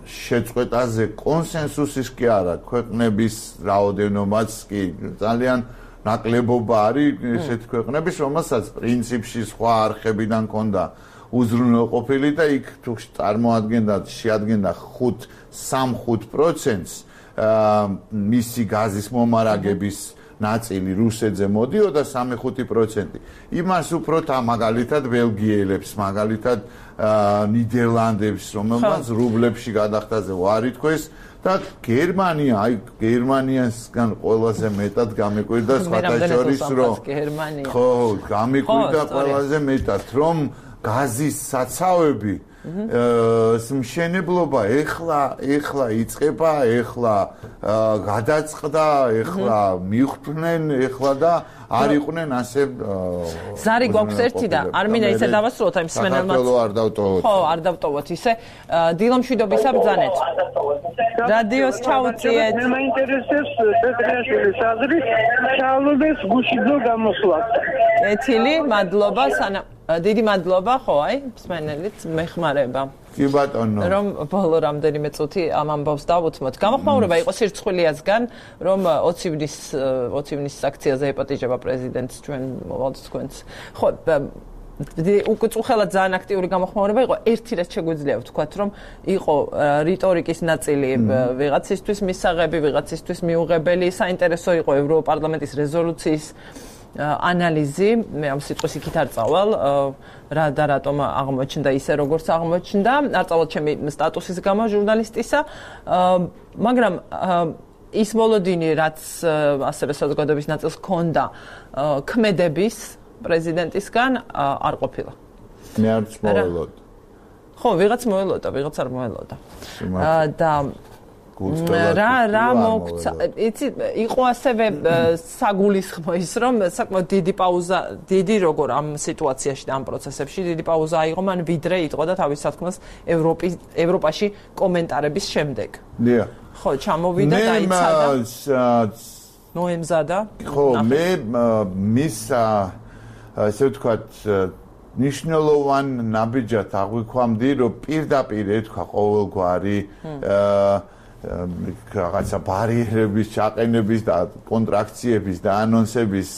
C: შეწყვეტაზე კონსენსუსის კი არა, ქვეყნების რაოდენობაც კი ძალიან ნაკლებობა არის ესეთ ქვეყნების, რომელსაც პრინციპში სხვა არხებიდან ჰქონდა უზრუნველყოფილი და იქ თუ წარმოადგენდა შეადგენდა ხუთ სამ-ხუთ პროცენტს მისი გაზის მომარაგების ნაწილი რუსეთზე მოდიოდა სამი-ხუთი პროცენტი. იმას უფრო თა მაგალითად ბელგიელებს, მაგალითად ნიდერლანდებს, რომელმაც რუბლებში გადახდაზე ვარი თქვეს და გერმანია, აი გერმანიასგან ყველაზე მეტად გამეკვირდა სხვათა შორის რომ ხო, გამეკვირდა ყველაზე მეტად რომ გაზის საცავები მშენებლობა ეხლა ეხლა იწყება, ეხლა გადაწყდა, ეხლა მიხვდნენ, ეხლა და არ იყვნენ ასე
A: ზარი გვაქვს ერთი და არ მინდა ისე დავასრულოთ აი მსმენელმაც.
C: საქართველო არ დავტოვოთ.
A: ხო, არ დავტოვოთ ისე. დილომშვიდობისა ბრძანეთ. რადიოს ჩაუწიეთ.
E: მე მაინტერესებს პეტრიაშვილის აზრი, ჩავლობეს გუშინო გამოსვლას.
A: ეთილი, მადლობა, სანა დიდი მადლობა, ხო, აი, მსმენელით მეხმარება.
C: კი ბატონო.
A: რომ ბოლო რამდენიმე წუთი ამ ამბავს დავუთმოთ. გამოხმაურება იყო სირცხვილიასგან, რომ ოცი ივნის ოცი ივნის აქციაზე ეპატიჟება პრეზიდენტს ჩვენ მოვალთ თქვენს. ხო, უკვე წუხელად ძალიან აქტიური გამოხმაურება იყო. ერთი რაც შეგვიძლია ვთქვათ, რომ იყო რიტორიკის ნაწილი ვიღაცისთვის მისაღები, ვიღაცისთვის მიუღებელი, საინტერესო იყო ევროპარლამენტის რეზოლუციის ანალიზი, მე ამ სიტყვის იქით არ წავალ, რა და რატომ აღმოჩნდა ისე როგორც აღმოჩნდა, არ წავალ ჩემი სტატუსის გამო ჟურნალისტისა, მაგრამ ის მოლოდინი, რაც ასევე საზოგადოების ნაწილს ჰქონდა ქმედების პრეზიდენტისგან არ ყოფილა.
C: მე არც მოველოდა.
A: ხო, ვიღაც მოველოდა, ვიღაც არ მოველოდა. და რა რა მოგცა იცი იყო ასევე საგულისხმო ის რომ საკმაოდ დიდი პაუზა დიდი როგორ ამ სიტუაციაში და ამ პროცესებში დიდი პაუზა აიღო მან ვიდრე იტყოდა თავის სათქმას ევროპის ევროპაში კომენტარების შემდეგ.
C: დიახ.
A: ხო, ჩამოვიდა და იცადა.
C: მე
A: ნოემზადა.
C: ხო, მე მის ასე ვთქვათ, ნიშნულოვან ნაბიჯად აღვიქვამდი, რომ პირდაპირ ეთქვა ყოველგვარი რაღაცა ბარიერების ჩაყენების და კონტრაქციების და ანონსების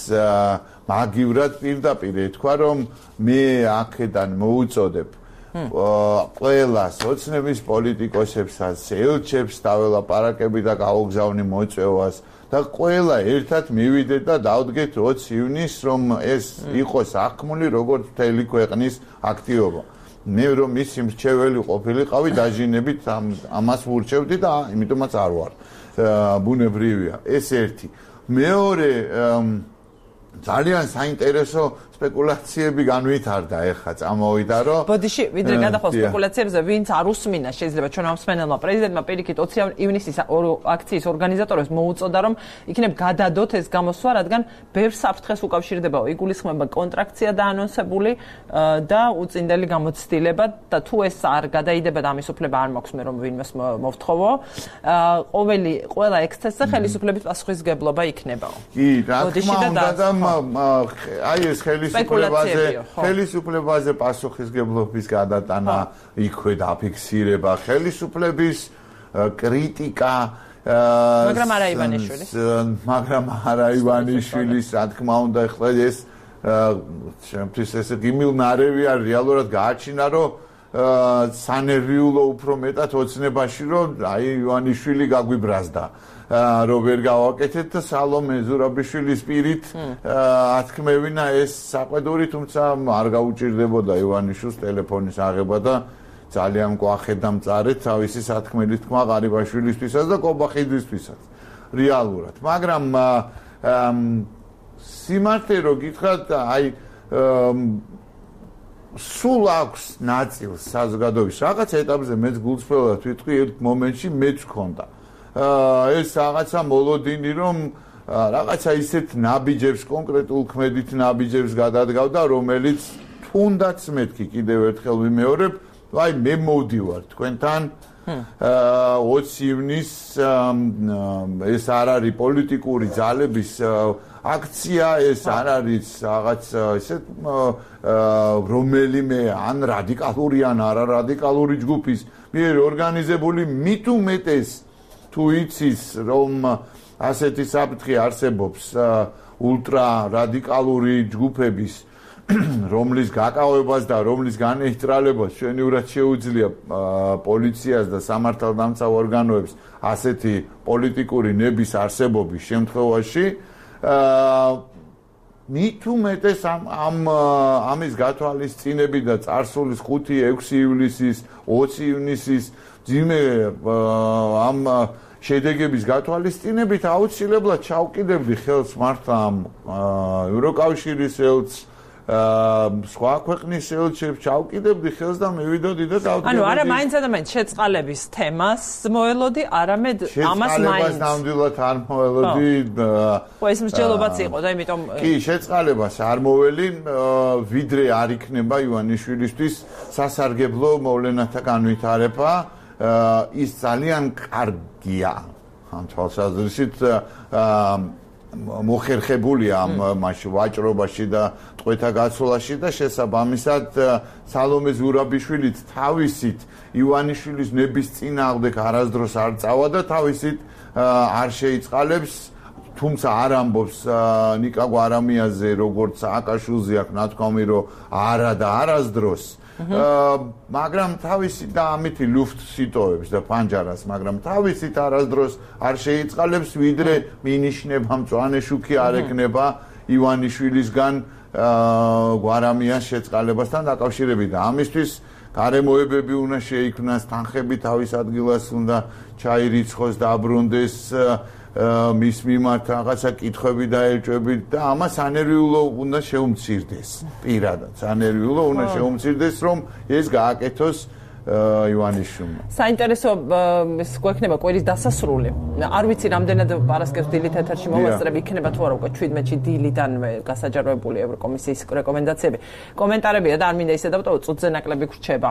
C: მაგივრად პირდაპირ ეთქვა, რომ მე აქედან მოუწოდებ ყველას ოცნების პოლიტიკოსებსაც, ელჩებს დაველაპარაკები და გავგზავნი მოწვევას და ყველა ერთად მივიდეთ და დავდგეთ ოცი ივნისს, რომ ეს იყოს აღქმული როგორც მთელი ქვეყნის აქტივობა. მე რომ ისი მრჩეველი ყოფილიყავი, დაჟინებით ამას ვურჩევდი და იმიტომაც არ ვარ. ბუნებრივია. ეს ერთი. მეორე ძალიან საინტერესო სპეკულაციები განვითარდა ეხლა წამოვიდა რომ
A: ბოდიში ვიდრე გადახვალ სპეკულაციებზე ვინც არ უსმინა შეიძლება ჩვენ ამ მსმენელმა პრეზიდენტმა პირიქით ოცი ივნისის აქციის ორგანიზატორებს მოუწოდა რომ იქნებ გადადოთ ეს გამოსვლა რადგან ბევრ საფრთხეს უკავშირდება იგულისხმება კონტრაქცია დაანონსებული და უწინდელი გამოცდილება და თუ ეს არ გადაიდება და ამის უფლება არ მაქვს მე რომ ვინმეს მოვთხოვო ყოველი ყველა ექსცესზე ხელისუფლების პასუხისგებლობა იქნებაო
C: კი რა თქმა უნდა და აი ეს ხელისუფლებაზე ხელისუფლებაზე პასუხისგებლობის გადატანა იქვე დაფიქსირება ხელისუფლების კრიტიკა
A: მაგრამ არა ივანიშვილის
C: მაგრამ არა ივანიშვილის რა თქმა უნდა ეხლა ეს ჩემთვის ეს გიმილნარევი არ რეალურად გააჩინა რომ სანერვიულო უფრო მეტად ოცნებაში რომ აი ივანიშვილი გაგვიბრაზდა რომ ვერ გავაკეთეთ და სალომე ზურაბიშვილის პირით ათქმევინა ეს საყვედური თუმცა არ გაუჭირდებოდა ივანიშვილს ტელეფონის აღება და ძალიან მკვახედ და მწარეთ თავისი სათქმელი თქმა ღარიბაშვილისთვისაც და კობახიძისთვისაც რეალურად მაგრამ სიმართლე რო გითხრათ აი სულ აქვს ნაწილს საზოგადოების რაღაც ეტაპზე მეც გულწრფელად ვიტყვი ერთ მომენტში მეც ვქონდა ეს რაღაცა მოლოდინი რომ რაღაცა ისეთ ნაბიჯებს კონკრეტულ ქმედით ნაბიჯებს გადადგავდა რომელიც თუნდაც მეთქი კიდევ ერთხელ ვიმეორებ აი მე მოვდივარ თქვენთან ოცი ივნისს ეს არ არის პოლიტიკური ძალების აქცია ეს არ არის რაღაც ისეთ რომელიმე ან რადიკალური ან არარადიკალური ჯგუფის მიერ ორგანიზებული მით უმეტეს თუ იცის რომ ასეთი საფრთხე არსებობს ულტრა რადიკალური ჯგუფების რომლის გაკავებას და რომლის განეიტრალებას ჩვენიურად შეუძლია პოლიციას და სამართალდამცავ ორგანოებს ასეთი პოლიტიკური ნების არსებობის შემთხვევაში მით უმეტეს ამ ამ ამის გათვალისწინები და წარსულის ხუთი ექვსი ივლისის ოცი ივნისის ძიმე ამ შედეგების გათვალისწინებით აუცილებლად ჩავკიდებდი ხელს მართლა ამ ევროკავშირის ელჩს სხვა ქვეყნის ელჩებს ჩავკიდებდი ხელს და მივიდოდი და დავდგებოდი.
A: ანუ არა მაინც და მაინც შეწყალების თემას მოელოდი, არამედ ამას მაინც.
C: შეწყალებას ნამდვილად არ მოელოდი.
A: ხო ეს მსჯელობაც იყო და იმიტომ
C: კი, შეწყალებას არ მოველი, ვიდრე არ იქნება ივანიშვილისთვის სასარგებლო მოვლენათა განვითარება. ის ძალიან კარგია ამ თვალსაზრისით მოხერხებულია ამ მასში ვაჭრობაში და ტყვეთა გაცვლაში და შესაბამისად სალომე ზურაბიშვილიც თავისით ივანიშვილის ნების წინააღმდეგ არასდროს არ წავა და თავისით არ შეიწყალებს თუმცა არ ამბობს ნიკა გვარამიაზე როგორც სააკაშვილზე აქვს ნათქვამი რომ არა და არასდროს მაგრამ თავისი და ამითი ლუფტს იტოვებს და პანჯარას მაგრამ თავისით არასდროს არ შეიწყალებს ვიდრე მინიშნება მწვანე შუქი არ ეკნება ივანიშვილისგან გვარამიას შეწყალებასთან დაკავშირებით და ამისთვის გარემოებები უნდა შეიქმნას თანხები თავის ადგილას უნდა ჩაირიცხოს დაბრუნდეს მის მიმართ რაღაცა კითხვები და ელჭვები და ამას ანერვიულო უნდა შეუმცირდეს პირადად ანერვიულო უნდა შეუმცირდეს რომ ეს გააკეთოს ივანიშვილმა
A: საინტერესო ეს გვექნება კვირის დასასრული არ ვიცი რამდენად პარასკევს დილით ეთერში მოვასწრები იქნება თუ არა უკვე ჩვიდმეტში დილიდან გასაჯაროებული ევროკომისიის რეკომენდაციები კომენტარებია და არ მინდა ისე დავტოვო წუთზე ნაკლები გრჩება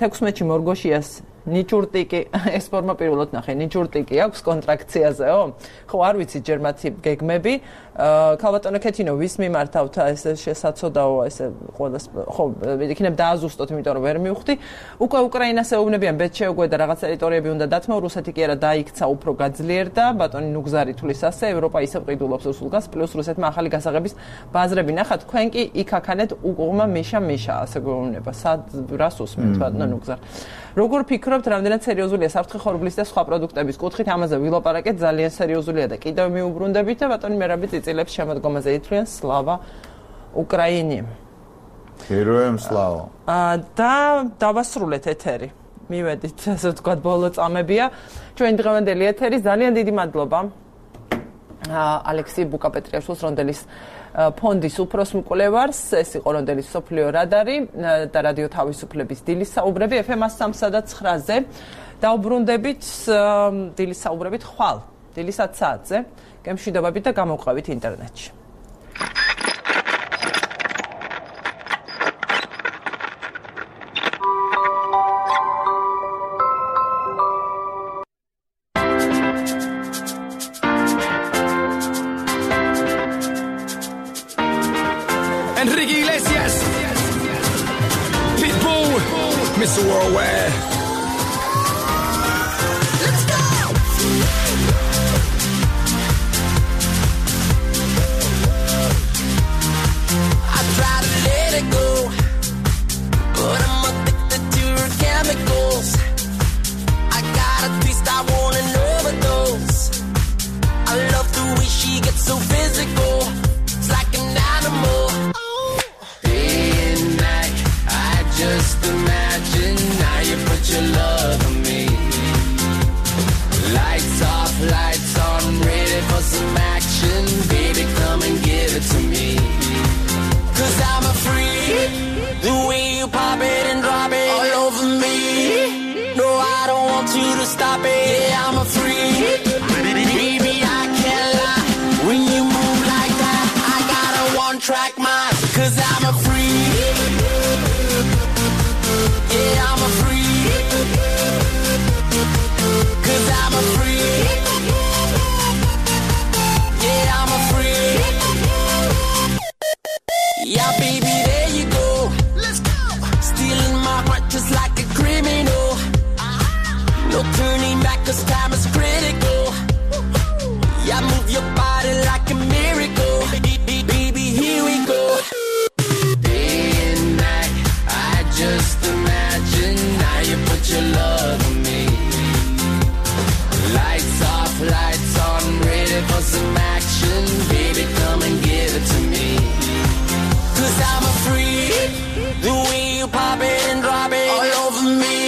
A: თექვსმეტში მორგოშიას ნიჭურტიკი ეს ფორმა პირველად ნახე ნიჭურტიკი აქვს კონტრაქციაზეო ხო არ ვიცი ჯერ მათი გეგმები ქალბატონო ქეთინო ვის მიმართავთ ეს შესაძოდაო ესე ყოველას ხო იქნებ დააზუსტოთ იმიტომ რომ ვერ მივხვდი უკვე უკრაინას ეუბნებიან ბეთ შეუგვედა რაღაც ტერიტორიები უნდა დათმო რუსეთი კი არა დაიქცა უფრო გაძლიერდა ბატონი ნუგზარი თulis ასე ევროპა ისევ ყიდულობს რუსულ გაზს პლუს რუსეთმა ახალი გასაღების ბაზრები ნახა თქვენ კი იქ აქანეთ უყურმა მიშა მიშა ასე გვეუბნება სად რას უსმენთ ბატონო ნუგზარ როგორ ფიქრობთ რამდენად სერიოზულია საფრთხე ხორბლის და სხვა პროდუქტების კუთხით ამაზე ვილაპარაკეთ ძალიან სერიოზულია და კიდევ მიუბრუნდებით და ბატონი მერაბი წიწილებს შემოდგომაზე ითვლიან სლავა უკრაინი
C: ჰეროემ სლავა
A: და დავასრულეთ ეთერი მივედით ასე ვთქვათ ბოლო წამებია ჩვენი დღევანდელი ეთერი ძალიან დიდი მადლობა ალექსი ბუკაპეტრიაშვილს რონდელის ფონდის უფროს მკვლევარს ეს იყო რონდელის სოფლიო რადარი და რადიო თავისუფლების დილის საუბრები ეფ ემ სამსა და ცხრაზე დაუბრუნდებით დილის საუბრებით ხვალ დილის ათ საათზე გემშვიდობებით და გამოვყავით ინტერნეტში
F: Enrique Iglesias, Pitbull, Mister Worldwide. Let's go. I try to let it go, but I'm addicted to her chemicals. I got a taste, I want an overdose. I love the way she gets so physical. It's like an animal. Just imagine now you put your love on me. Lights off, lights on, ready for some action. Baby, come and give it to me. Cause I'm a freak. The way you pop it and drop it all over me. No, I don't want you to stop it. Yeah, I'm a freak. Baby, I can't lie. When you move like that, I got a one-track mind. Cause I'm a freak. Yeah, I'm a freak. Cause I'm a freak. Yeah, I'm a freak. Yeah, baby, there you go. Let's go. Stealing my heart just like a criminal. No turning back cause time is critical. Yeah, move your body like a miracle. Baby, here we go. Day and night, I just imagine now you put your love on me. Lights off, lights on, ready for some action. Baby, come and give it to me. Cause I'm a freak. The way you pop it and drop it all over me.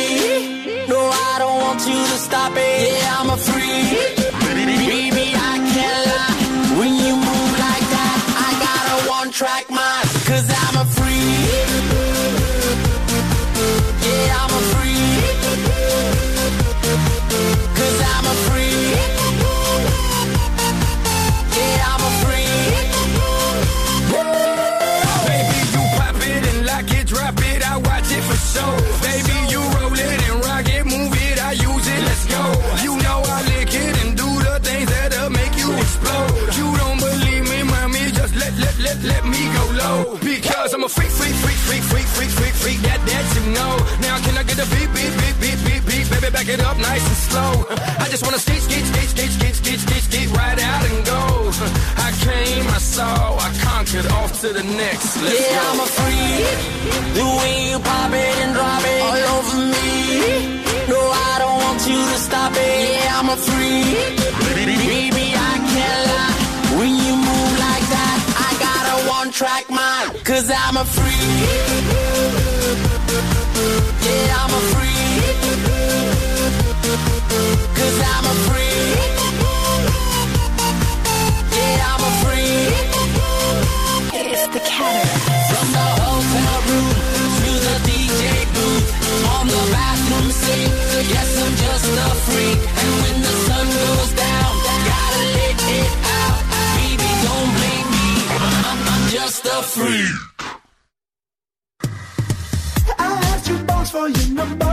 F: No, I don't want you to stop it. Yeah, I'm a freak. Baby, I can't lie. When you move like that, I got a one-track mind. Cause I'm a freak. Yeah, I'm a freak. Cause I'm a freak. Yeah, I'm a freak. Baby, you pop it and lock it, drop it, I watch it for sure. Baby, you roll it and rock it, move it, I use it, let's go. You know I lick it and do the things that'll make you explode. You don't believe me, mommy, just let, let, let, let me go low. Because I'm a freak, freak, freak, freak, freak, freak, freak, freak, that, that you know. Now can I get a beat, beat, beat, beat, beat, beat, baby, back it up nice and slow. I just wanna skate, skate, skate, skate, skate, skate, skate, skate, right out and go. I came, I saw, I conquered, off to the next. Let's yeah, go. I'm a freak. The way you pop it and drop it all over me. No, I don't want you to stop it. Yeah, I'm a freak. Baby, I can't lie. When you move like that, I got a one-track mind. Cause I'm a freak. Yeah, I'm a freak. Cause I'm a freak. Yeah, I'm a freak. It's the Cataract. From the hotel room to the D J booth, on the bathroom sink. Yes, I'm just a freak. And when the sun goes down, gotta let it out. Baby, don't blame me. I'm, I'm just a freak. I have two bones for your number.